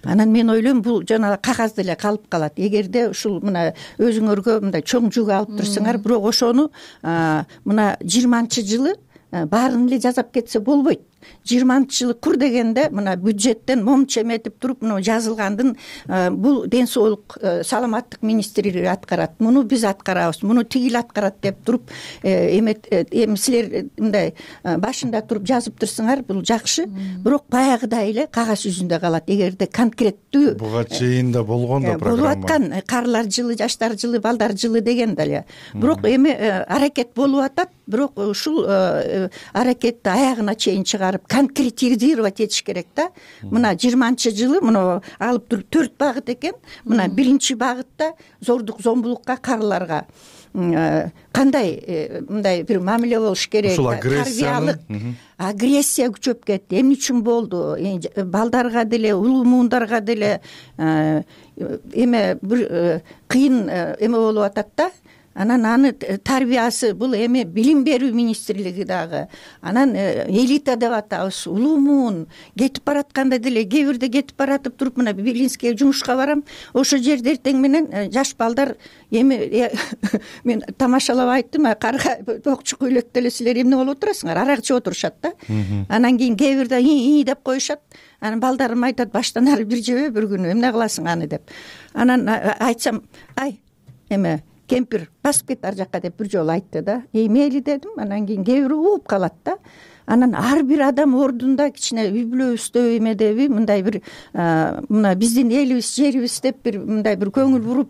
Анан мен ойлойм, бул жанагы кагазда эле калып калат. Эгерде ушул мына өзүңөргө мындай чоң жүк алып турсаңар, бирок ошону мына 20-жылы баарын эле жасап кетсе болбойт. 20-жылы кур дегенде мына бюджеттен момчу эметип туруп мына жазылгандын бул ден соолук саламаттык министрлиги аткарат, муну биз аткарабыз, муну тигил аткарат деп туруп эми силер мындай башында туруп жазып турсаңар, бул жакшы, бирок баягыдай эле кагаз жүзүндө калат. Эгерде конкреттүү буга чейин да болгон да программа болуп аткан, карлар жылы, жаштар жылы, балдар жылы деген да эле, бирок эми аракет болуп атат, бирок ушул аракетти аягына чейин чыгарып конкретизировать этиш керек да. Мына 20-жылы мына алып туруп 4 багыт экен. Мына биринчи багытта зордук зомбулукка, карларга кандай мындай бир мамиле болуш керек, тарбиялык агрессия күчөп кетти. Эмне үчүн болду? Балдарга деле, улуумундарга деле эме бир кыйын эме болуп атат да. Анан аны тарбиясы бул эми билим берүү министрлиги дагы. Анан элита деп атабыз, улуумун кетип баратканда деле, кээ бирде кетип баратып туруп мына Белинскийге жумушка барам. Ошо жерде эртең менен жаш балдар эми мен тамашалап айттым, карга токчу көйлөктө эле силер эмне болуп отурасыңар? Арак ичип отурушат да. Анан кийин кээ бирде и деп коюшат. Анан балдарым айтат, баштан ары бир жебе бир күнү, эмне кыласың аны деп. Анан айтсам, ай эме кемпир басып кет ар жакка деп бир жолу айтты да. Мейли дедим. Анан кийин кээ бири ууп калат да. Анан ар бир адам ордунда кичине үй бүлөбүздө эмедеби мындай бир мына биздин элибиз, жерибиз деп бир мындай бир көңүл буруп,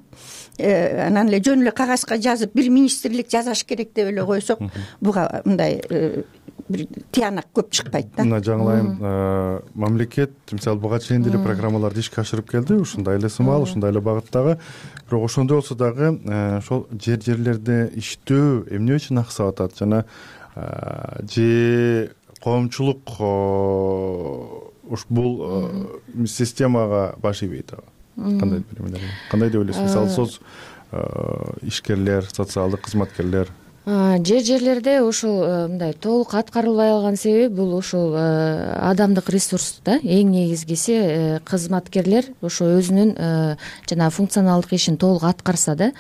анан эле жөн эле кагазга жазып бир министрлик жасаш керек деп эле койсок, буга мындай бир тыянак көп чыкпайт да. Мына жаңылайым, мамлекет мисалы буга чейин деле программаларды ишке ашырып келди, ушундай эле сымал, ушундай эле багыттагы. Бирок ошондой болсо дагы ошол жерлерде иштөө эмне үчүн аксап атат? Жана же коомчулук бул системага баш ийбейт абы? Кандай деп ойлойсуз? Мисалы соц ишкерлер, социалдык кызматкерлер жерлерде ушул мындай толук аткарылбай калган себеби бул ушул адамдык ресурс да. Эң негизгиси кызматкерлер ошо өзүнүн жана функционалдык ишин толук аткарса да.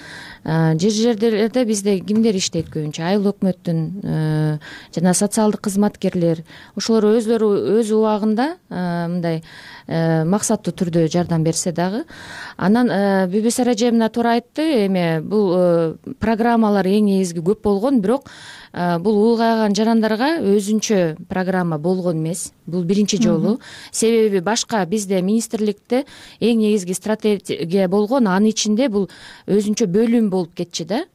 Жерлерде бизде кимдер иштейт көбүнчө? Айыл өкмөттүн жана социалдык кызматкерлер. Ошолор өзлөрү өз убагында мындай максаттуу түрдө жардам берсе дагы. Анан Бүбүсара эже мына туура айтты, эми бул программалар эң негизги көп болгон, бирок бул улгайган жарандарга өзүнчө программа болгон эмес. Бул биринчи жолу. Себеби башка бизде министрликте эң негизги стратегия болгон, анын ичинде бул өзүнчө бөлүм болуп кетчү да.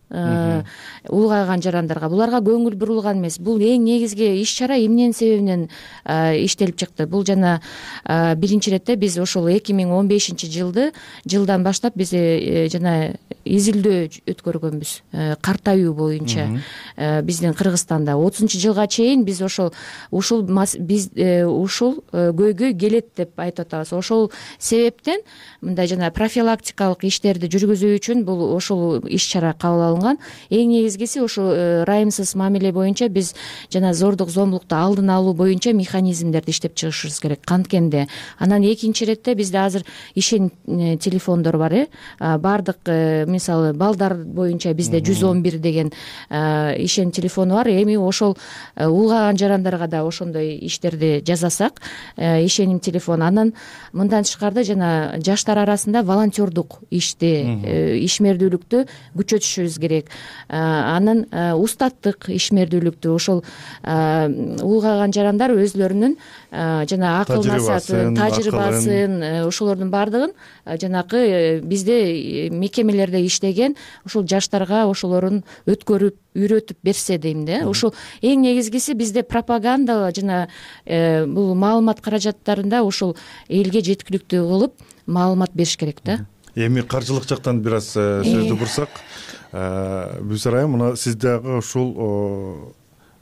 Улгайган жарандарга буларга көңүл бурулган эмес. Бул эң негизги иш чара эмненин себебинен иштелип чыкты? Бул жана биринчи иретте биз ошол 2015-жылдан баштап биз жана изилдөө өткөргөнбүз картаюу боюнча биздин Кыргызстанда 30-жылга чейин биз ушул көйгөй келет деп айтып атабыз. Ошол себептен мындай жана профилактикалык иштерди жүргүзүү үчүн бул ошол иш чара кабыл алынган. алынган. Эң негизгиси ошо ырайымсыз мамиле боюнча биз жана зордук зомбулукту алдын алуу боюнча механизмдерди иштеп чыгышыбыз керек канткенде. Анан экинчи иретте бизде азыр ишен телефондор бар. Баардык мисалы балдар боюнча бизде 111 деген ишен телефону бар. Эми ошол улгаган жарандарга да ошондой иштерди жасасак, ишеним телефон. Анан мындан тышкары жана жаштар арасында волонтердук ишти, ишмердүүлүктү күчөтүшүбүз керек. Анан устаттык ишмердүүлүктү ошол улгаган жарандар өзлөрүнүн жана акыл тажрыйбасын ошолордун баардыгын жанакы бизде мекемелерде иштеген ушул жаштарга ошолорун өткөрүп үйрөтүп берсе дейм да. Ушул эң негизгиси бизде пропаганда жана бул маалымат каражаттарында ушул элге жеткиликтүү кылып маалымат бериш керек да. Эми каржылык жактан бир аз сөздү бурсак, Бүсөр айым, мына сиз дагы ушул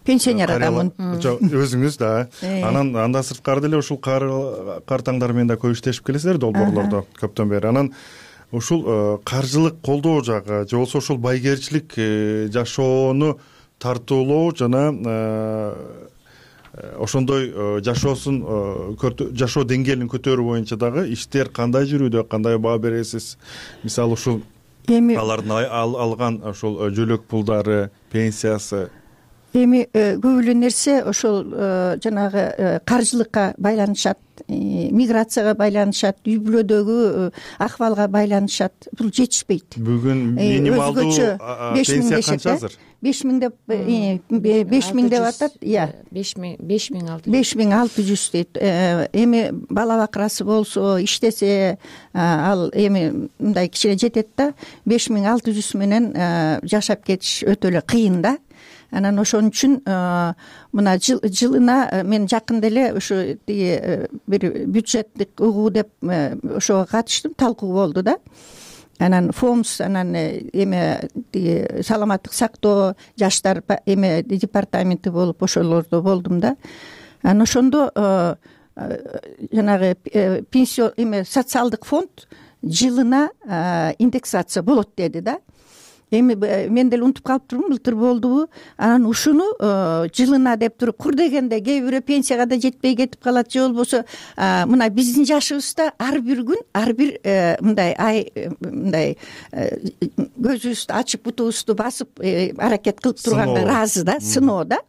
пенсионер адам өзүңүз да. Анан андан сырткары деле ушул картаңдар менен да көп иштешип келесиздер долбоорлордо көптөн бери. Анан ушул каржылык колдоо жагы же болбосо ушул байгерчилик жашоону тартуулоо жана ошондой жашоо деңгээлин көтөрүү боюнча дагы иштер кандай жүрүүдө, кандай баа бересиз? Мисалы ушул алардын алган ошол жөлөк пулдары, пенсиясы. Эми көп эле нерсе ошол жанагы каржылыкка байланышат, миграцияга байланышат, үй бүлөдөгү акыбалга байланышат. Бул жетишпейт. Бүгүн минималдуу пенсия канча азыр? 5000 деп атат. 5600 дейт. Эми бала бакырасы болсо, иштесе, ал эми мындай кичине жетет да, 5600 менен жашап кетиш өтө эле кыйын да. Анан ошон үчүн мына жылына мен жакында эле ушу бир бюджеттик угуу деп ошого катыштым, талкуу болду да. Анан ФОМС, анан эме саламаттык сактоо, жаштар эме департаменти болуп ошолордо болдум да. Анан ошондо жанагы пенсион эме социалдык фонд жылына индексация болот деди да. Эми мен деле унутуп калыптырмын, былтыр болдубу. Анан ушуну жылына деп туруп кур дегенде кээ бирөө пенсияга да жетпей кетип калат, же болбосо мына биздин жашыбызда ар бир күн, ар бир мындай көзүбүздү ачып бутубузду басып аракет кылып турганга ыраазы да, сыноо да.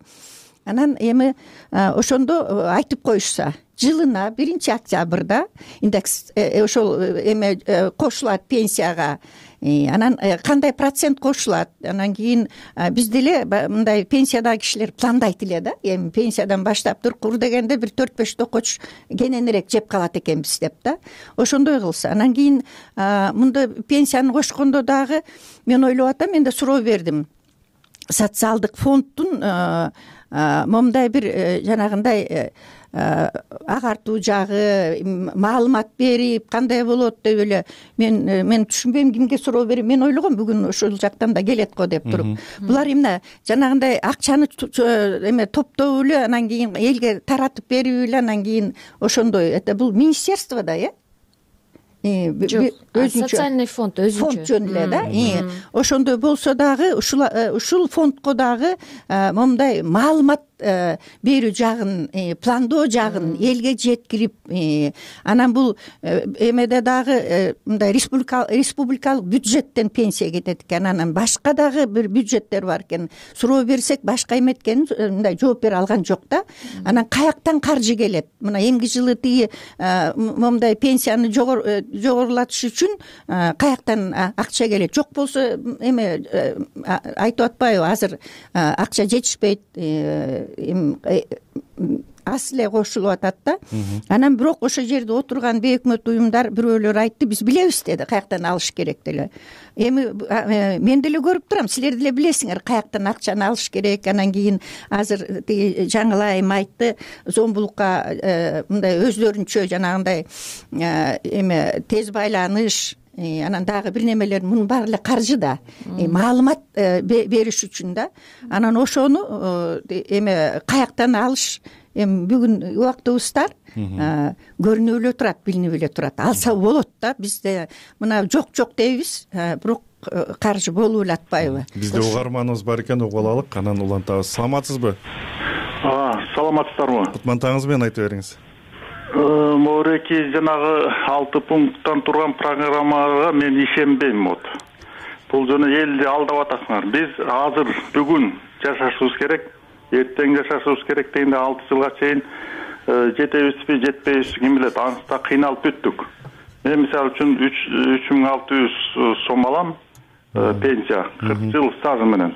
Анан эми ошондо айтып коюшса, жылына 1-октябрда индекс ошол эме кошулат пенсияга. Анан кандай процент кошулат? Анан кийин биз деле мындай пенсиядагы кишилер пландайт эле да. Эми пенсиядан баштап туруп кур дегенде бир 4-5 токоч кененирээк жеп калат экенбиз деп да. Ошондой кылса. Анан кийин мында пенсияны кошкондо дагы мен ойлоп атам, мен да суроо бердим. Социалдык фонддун момундай бир жанагындай агартуу жагы, маалымат берип кандай болот деп эле мен түшүнбөйм, кимге суроо берем. Мен ойлогом бүгүн ошол жактан да келет го деп туруп. Булар эмне жанагындай акчаны эме топтоп эле анан кийин элге таратып берип эле анан кийин ошондой это бул министерство да, жок, социальный фонд өзүнчө жөн эле да. Ошондой болсо дагы ушул фондко дагы момундай маалымат берүү жагын, пландоо жагын элге жеткирип, анан бул эмеде дагы мындай республикалык бюджеттен пенсия кетет экен, анан башка дагы бир бюджеттер бар экен. Суроо берсек башка эме экенин мындай жооп бере алган жок да. Анан каяктан каржы келет? Мына эмки жылы момундай пенсияны жогорулатыш үчүн каяктан акча келет? Жок болсо эме айтып атпайбы, азыр акча жетишпейт, аз эле кошулуп атат да. Анан бирок ошол жерде отурган бейөкмөт уюмдар бирөөлөр айтты, биз билебиз деди, каяктан алыш керек деле. Эми мен деле көрүп турам, силер деле билесиңер каяктан акчаны алыш керек. Анан кийин азыр жаңылай айым айтты, зомбулукка мындай өздөрүнчө жанагындай эме тез байланыш, анан дагы бир немелер, мунун баары эле каржы да, маалымат бериш үчүн да. Анан ошону эме каяктан алыш эми бүгүн убактыбыздар көрүнүп эле турат, билинип эле турат. Алса болот да, бизде мына жок дейбиз, бирок каржы болуп эле атпайбы? Бизде угарманыбыз бар экен, угуп алалык, анан улантабыз. Саламатсызбы? Саламатсыздарбы? Кутмантаңыз менен айтып бериңиз. Мореки жанагы 6 пункттан турган программага мен ишенбейм. Бул жана элди алдап атасыңар. Биз азыр бүгүн жашашыбыз керек, эртең жашашыбыз керек дегенде 6 жылга чейин жетебизби, жетпейбиз, ким билет, анысында кыйналып бүттүк. Мен мисалы үчүн 3600 сом алам пенсия, 40 жыл стажы менен.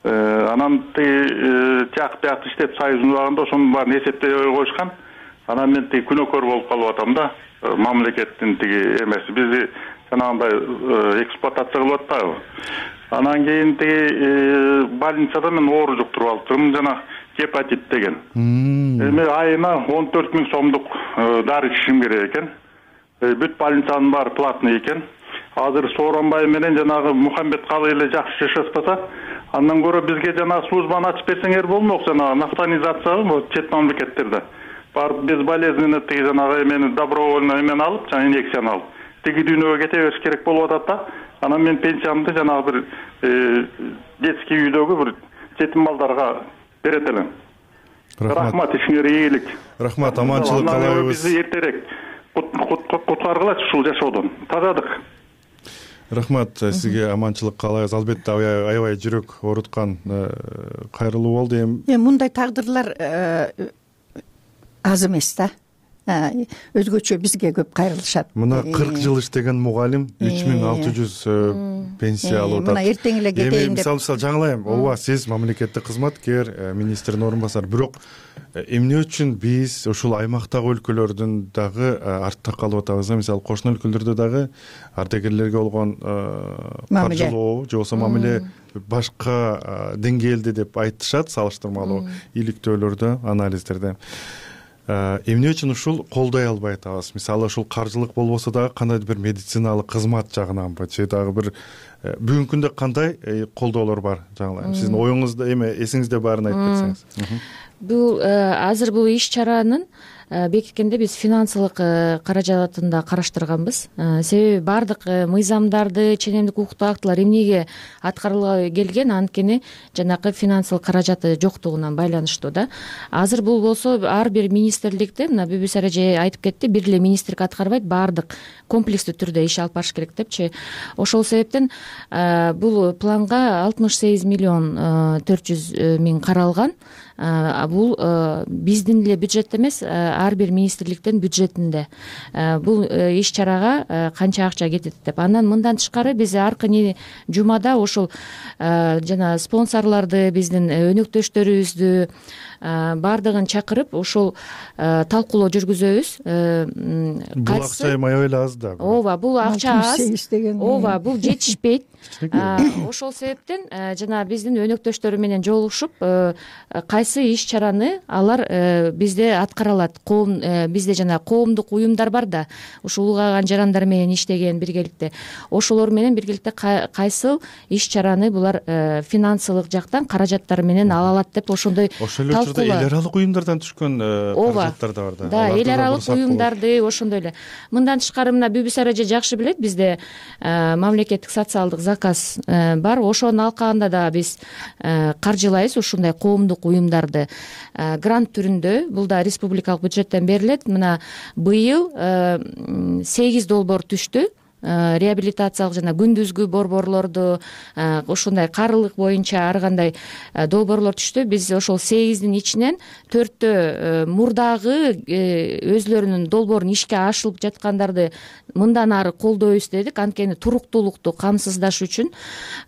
Анан жак бияк иштеп союздун убагында ошонун баарын эсептей коюшкан. Анан мен күнөкөр болуп калып атам да, мамлекеттин эмеси бизди жанагындай эксплуатация кылып атпайбы. Анан кийин больницада мен оору жуктуруп алыптырмын, жана гепатит деген. Эми айына 14 000 сомдук дары ичишим керек экен. Бүт больницанын баары платный экен. Азыр Сооронбай менен жанагы Мухаммед Калый эле жакшы жашашпаса, андан көрө бизге жанагы службаны ачып берсеңер болмок, жанагы нафтанизация чет мамлекеттерде. Барып без болезненно жанагы эмени добровольно эмени алып, жана инъекцияны алып, дүйнөгө кете бериш керек болуп атат да. Анан мен пенсиямды жанагы бир детский үйдөгү бир жетим балдарга берет элем. Рахмат, ишиңер ийгилик. Рахмат, аманчылык каалайбыз. Бизди эртерээк куткаргылачы ушул жашоодон. Тазадык. Рахмат, сизге аманчылык каалайбыз. Албетте аябай жүрөк ооруткан кайрылуу болду. Эми мындай тагдырлар аз эмес да. Өзгөчө бизге көп кайрылышат. Мына 40 жыл иштеген мугалим 3600 пенсия алып атат. Мына эртең эле кетейин деп. Мисалы жаңылайм, ооба, сиз мамлекеттик кызматкер, министрдин орун басары, бирок эмне үчүн биз ушул аймактагы өлкөлөрдүн дагы артта калып атабыз? Мисалы кошуна өлкөлөрдө дагы ардагерлерге болгон каржылоо же болбосо мамиле башка деңгээлде деп айтышат, салыштырмалуу иликтөөлөрдө, анализдерде. Эмне үчүн ушул колдой албай атабыз? Мисалы ушул каржылык болбосо дагы кандайдыр бир медициналык кызмат жагынанбы же дагы бир бүгүнкү күндө кандай колдоолор бар? Жаңылайм, сиздин оюңузда эме эсиңизде баарын айтып кетсеңиз. Бул азыр бул иш-чаранын бекиткенде биз финансылык каражатын да караштырганбыз. Себеби баардык мыйзамдарды, ченемдик укуктук актылар эмнеге аткарылбай келген, анткени жанакы финансылык каражаты жоктугунан байланыштуу да. Азыр бул болсо ар бир министрликте, мына Бүбүс эже айтып кетти, бир эле министрлик аткарбайт, баардык комплекстүү түрдө иш алып барыш керек депчи. Ошол себептен бул планга 68 миллион 400 миң каралган. Бул биздин эле бюджет эмес, ар бир министрликтин бюджетинде. Бул иш-чарага канча акча кетет деп. Андан мындан тышкары биз аркы жумада ошол жана спонсорлорду, биздин өнөктөштөрүбүздү баардыгын чакырып ошол талкуулоо жүргүзөбүз. Бул акча аябай эле аз да. Ооба, бул акча аз. Ооба, бул жетишпейт. Ошол себептен жана биздин өнөктөштөр менен жолугушуп, кайсы иш-чараны алар бизде аткара алат. Бизде жана коомдук уюмдар бар да, ушул улгаган жарандар менен иштеген биргеликте. Ошолор менен биргеликте кайсы иш-чараны булар финансылык жактан каражаттары менен ала алат деп ошондой талкуулоо. Эл аралык уюмдардан түшкөн каражаттар да бар да. Да, эл аралык уюмдарды ошондой эле. Мындан тышкары мына Бүбүс эже жакшы билет, бизде мамлекеттик социалдык заказ бар. Ошонун алкагында да биз каржылайбыз ушундай коомдук уюмдарды грант түрүндө. Бул да республикалык бюджеттен берилет. Мына быйыл 8 долбоор түштү. Реабилитациялык жана күндүзгү борборлорду, ушундай карылык боюнча ар кандай долбоорлор түштү. Биз ошол 8дин ичинен 4тө мурдагы өзлөрүнүн долбоорун ишке ашырылып жаткандарды мындан ары колдойбуз дедик, анткени туруктуулукту камсыздаш үчүн.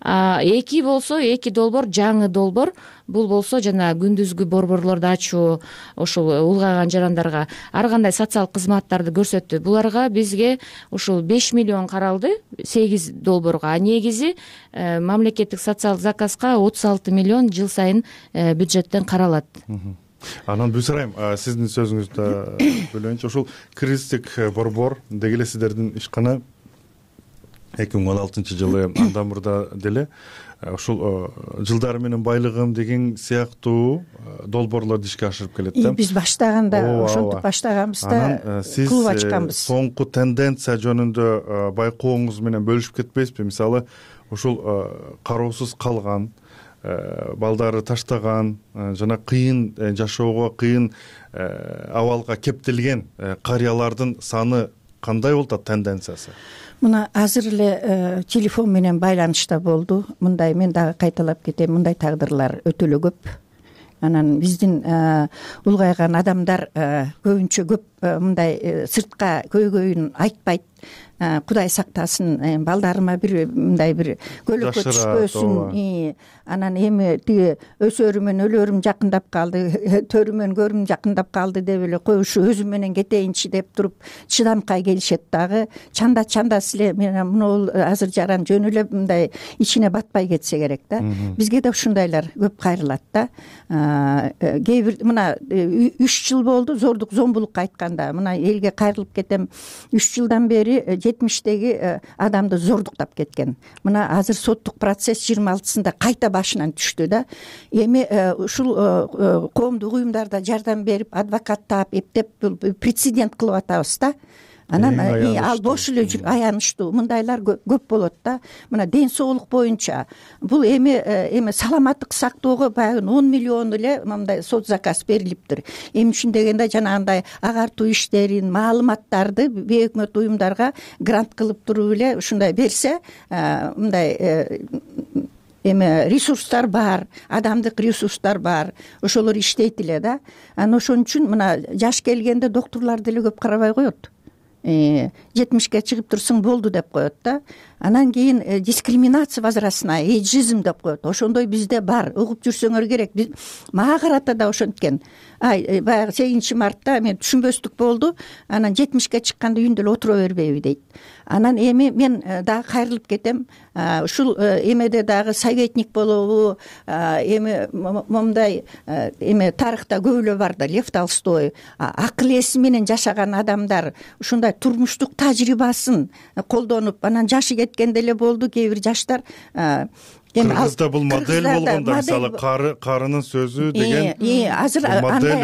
2 болсо 2 долбоор жаңы долбоор. Бул болсо жана күндүзгү борборлорду ачуу, ошол улгаган жарандарга ар кандай социалдык кызматтарды көрсөттү. Буларга бизге ушул 5 миллион каралды 8 долбоорго. А негизи мамлекеттик социалдык заказга 36 миллион жыл сайын бюджеттен каралат. Анан Бүсарайым, сиздин сөзүңүздө бөлөйүнчү, ушул кризистик борбор деги эле сиздердин ишкана 2016 жылы андан мурда деле ушул жылдары менен байлыгым деген сыяктуу долбоорлорду ишке ашырып келет да. Биз баштаганда ошентип баштаганбыз да, клуб ачканбыз. Сиз соңку тенденция жөнүндө байкооңуз менен бөлүшүп кетпейсизби? Мисалы ушул кароосуз калган, балдары таштаган, жана кыйын жашоого, кыйын абалга кептелген карыялардын саны кандай болуп атат, тенденциясы? Мына азыр эле телефон менен байланышта болду. Мындай, мен дагы кайталап кетем, мындай тагдырлар өтө эле көп. Анан биздин улгайган адамдар көбүнчө көп мындай сыртка көйгөйүн айтпайт. Кудай сактасын, балдарыма бир мындай бир көлөккө түшпөсүн. Анан эми тиги өсөрүмөн өлөрүм жакындап калды, төрүмөн көрүм жакындап калды деп эле кой ушу өзүм менен кетейинчи деп туруп чыдамкай келишет дагы. Чанда силе менен муну азыр жаран жөн эле мындай ичине батпай кетсе керек да. Бизге да ушундайлар көп кайрылат да. Кээ бир мына 3 жыл болду зордук зомбулукка айтканда. Мына элге кайрылып кетем. 3 жылдан бери 70-теги адамды зордуктап кеткен. Мына азыр соттук процесс 26-сында кайта башынан түштү да. Эми ушул коомдук уюмдарда жардам берип, адвокат таап, эптеп прецедент кылып атабыз да. Анан ал бош эле аянычтуу мындайлар көп болот да. Мына ден соолук боюнча бул эми саламаттык сактоого баягы 10 миллион эле мындай сот заказ берилиптир. Эми үчүн дегенде жанагындай агартуу иштерин, маалыматтарды бейөкмөт уюмдарга грант кылып туруп эле ушундай берсе, мындай эми ресурстар бар, адамдык ресурстар бар, ошолор иштейт эле да. Анан ошон үчүн мына жаш келгенде доктурлар деле көп карабай коет. 70-ке чыгып турсаң болду деп коет да. Анан кийин дискриминация возрастная, эйджизм деп коет. Ошондой бизде бар, угуп жүрсөңөр керек. Мага карата да ошенткен. Баягы 8 мартта мен түшүнбөстүк болду. Анан 70-ке чыкканда үйүндө эле отура бербейби дейт. Анан эми мен дагы кайрылып кетем. Ушул эмеде дагы советник болобу, эми момундай эми тарыхта көп эле бар да, Лев Толстой, акыл эси менен жашаган адамдар ушундай турмуштук тажрыйбасын колдонуп, анан жашы кеткенде эле болду. Кээ бир жаштар Кыргызда бул модель болгон да, мисалы карынын сөзү деген азыр андай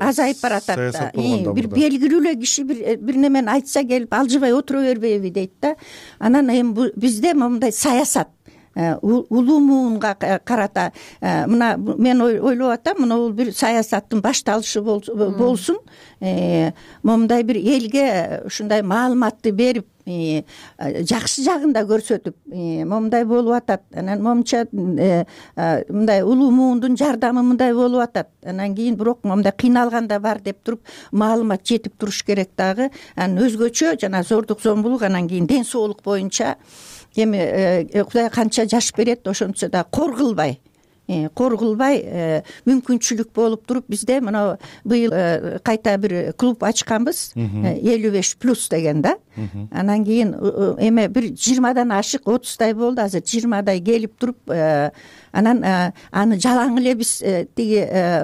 азайып баратат. Бир белгилүү эле киши бир немени айтса келип алжыбай отура бербейби дейт да. Анан эми бизде момундай саясат улуумунга карата мына мен ойлоп атам, мына бул бир саясаттын башталышы болсун. Момундай бир элге ушундай маалыматты берип, жакшы жагын да көрсөтүп, момундай болуп атат. Анан момунча мындай улуумундун жардамы мындай болуп атат. Анан кийин бирок момундай кыйналган да бар деп туруп маалымат жетип туруш керек дагы. Анан өзгөчө жана зордук зомбулук, анан кийин ден соолук боюнча эми Кудай канча жаш берет, ошончо да коргулбай мүмкүнчүлүк болуп туруп бизде мына быйыл кайта бир клуб ачканбыз, 55+ деген да. Анан кийин эми бир 20дан ашык 30дай болду, азыр 20дай келип туруп, анан аны жалаң эле биз тиги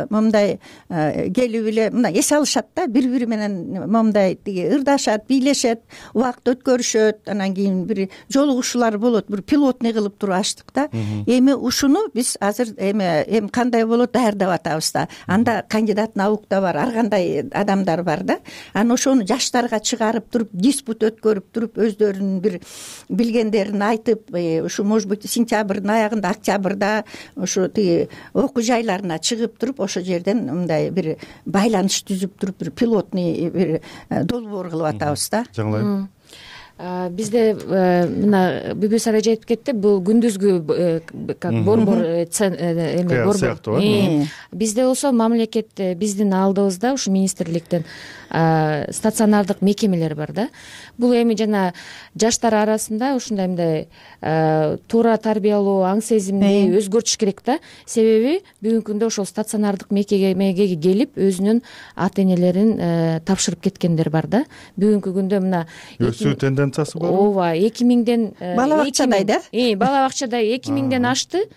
момундай келип эле мына эс алышат да, бири менен момундай тиги ырдашат, бийлешет, убакыт өткөрүшөт. Анан кийин бир жолугушуулар болот, бир пилотный кылып туруп ачтык да. Эми ушуну биз азыр эми кандай болот даярдап атабыз да. Анда кандидат наук да бар, ар кандай адамдар бар да. Анан ошону жаштарга чыгарып туруп, диспут өткөрүп туруп, өздөрүнүн бир билгендерин айтып, ушу может быть сентябрдын аягында, октябрда ошо тиги окуу жайларына чыгып туруп, ошол жерден мындай бир байланыш түзүп туруп, бир пилотный бир долбоор кылып атабыз да. Жаңылайм. Бизде мына Бүбү Сарайжа айтып кетти, бул күндүзгү как борбор эме борбор. Бизде болсо мамлекет биздин алдыбызда ушу министрликтен стационардык мекемелер бар да. Бул эми жана жаштар арасында ушундай мындай туура тарбиялоо, аң сезимди өзгөртүш керек да. Себеби бүгүнкү күндө ошол стационардык мекемеге келип өзүнүн ата энелерин тапшырып кеткендер бар да. Бүгүнкү күндө мына өсүү тенденциясы бар. Ооба, 2000ден бала бакчадай да. Бала бакчадай 2000ден ашты.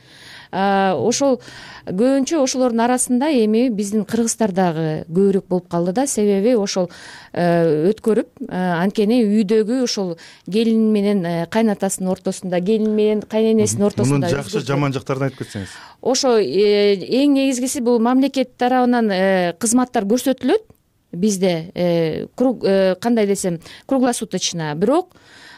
ошол көбүнчө ошолордун арасында эми биздин кыргыздар дагы көбүрөөк болуп калды да, себеби ошол өткөрүп анткени үйдөгү ошол келин менен кайнатасынын ортосунда, келин менен кайненесинин ортосунда мунун жакшы жаман жактарын айтып кетсеңиз. Ошо эң негизгиси бул мамлекет тарабынан кызматтар көрсөтүлөт бизде, кандай десем, круглосуточно. Бирок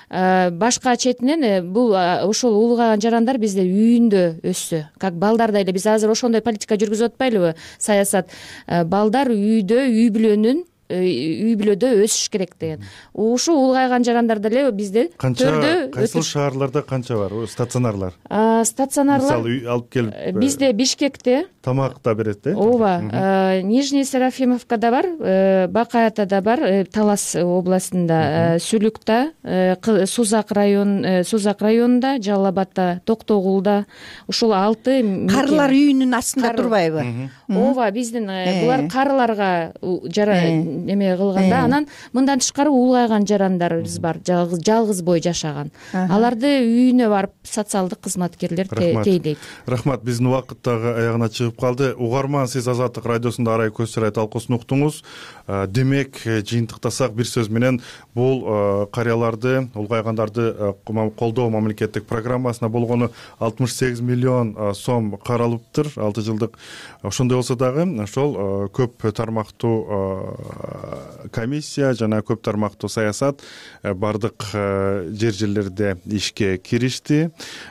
башка четинен бул ошол улгайган жарандар бизде үйүндө өссө, как балдардай эле. Биз азыр ошондой политика жүргүзүп атпайлыбы, саясат. Балдар үйдө, үй бүлөдө өсүш керек деген. Ушул улгайган жарандар деле бизде төрдө. Кайсыл шаарларда канча бар стационарлар? Стационарлар мисалы алып келип бизде Бишкекте тамак да берет, ооба, Нижний Серафимовкада бар, Бакаятада бар, Талас областында, Сүлүктө, Сузак районунда, Жалал Абадда, Токтогулда, ушул 6 карылар үйүнүн астында турбайбы? Ооба, биздин булар карыларга эме кылганда, анан мындан тышкары улгайган жарандарыбыз бар, жалгыз бой жашаган. Аларды үйүнө барып социалдык кызматкерлер тейлейт. Рахмат, биздин убакыт дагы аягына чыгып калды. Угарман, сиз Азаттык радиосунда Арай көз чырай талкуусун уктуңуз. Демек, жыйынтыктасак бир сөз менен бул карыяларды, улгайгандарды колдоо мамлекеттик программасына болгону 68 миллион сом каралыптыр 6 жылдык. Ошондой болсо дагы ошол көп тармактуу комиссия жана көп тармактуу саясат бардык жерлерде ишке киришти.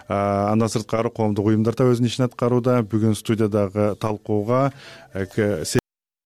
Андан сырткары коомдук уюмдар да өзүнүн ишин аткарууда. Бүгүн студиядагы талкууга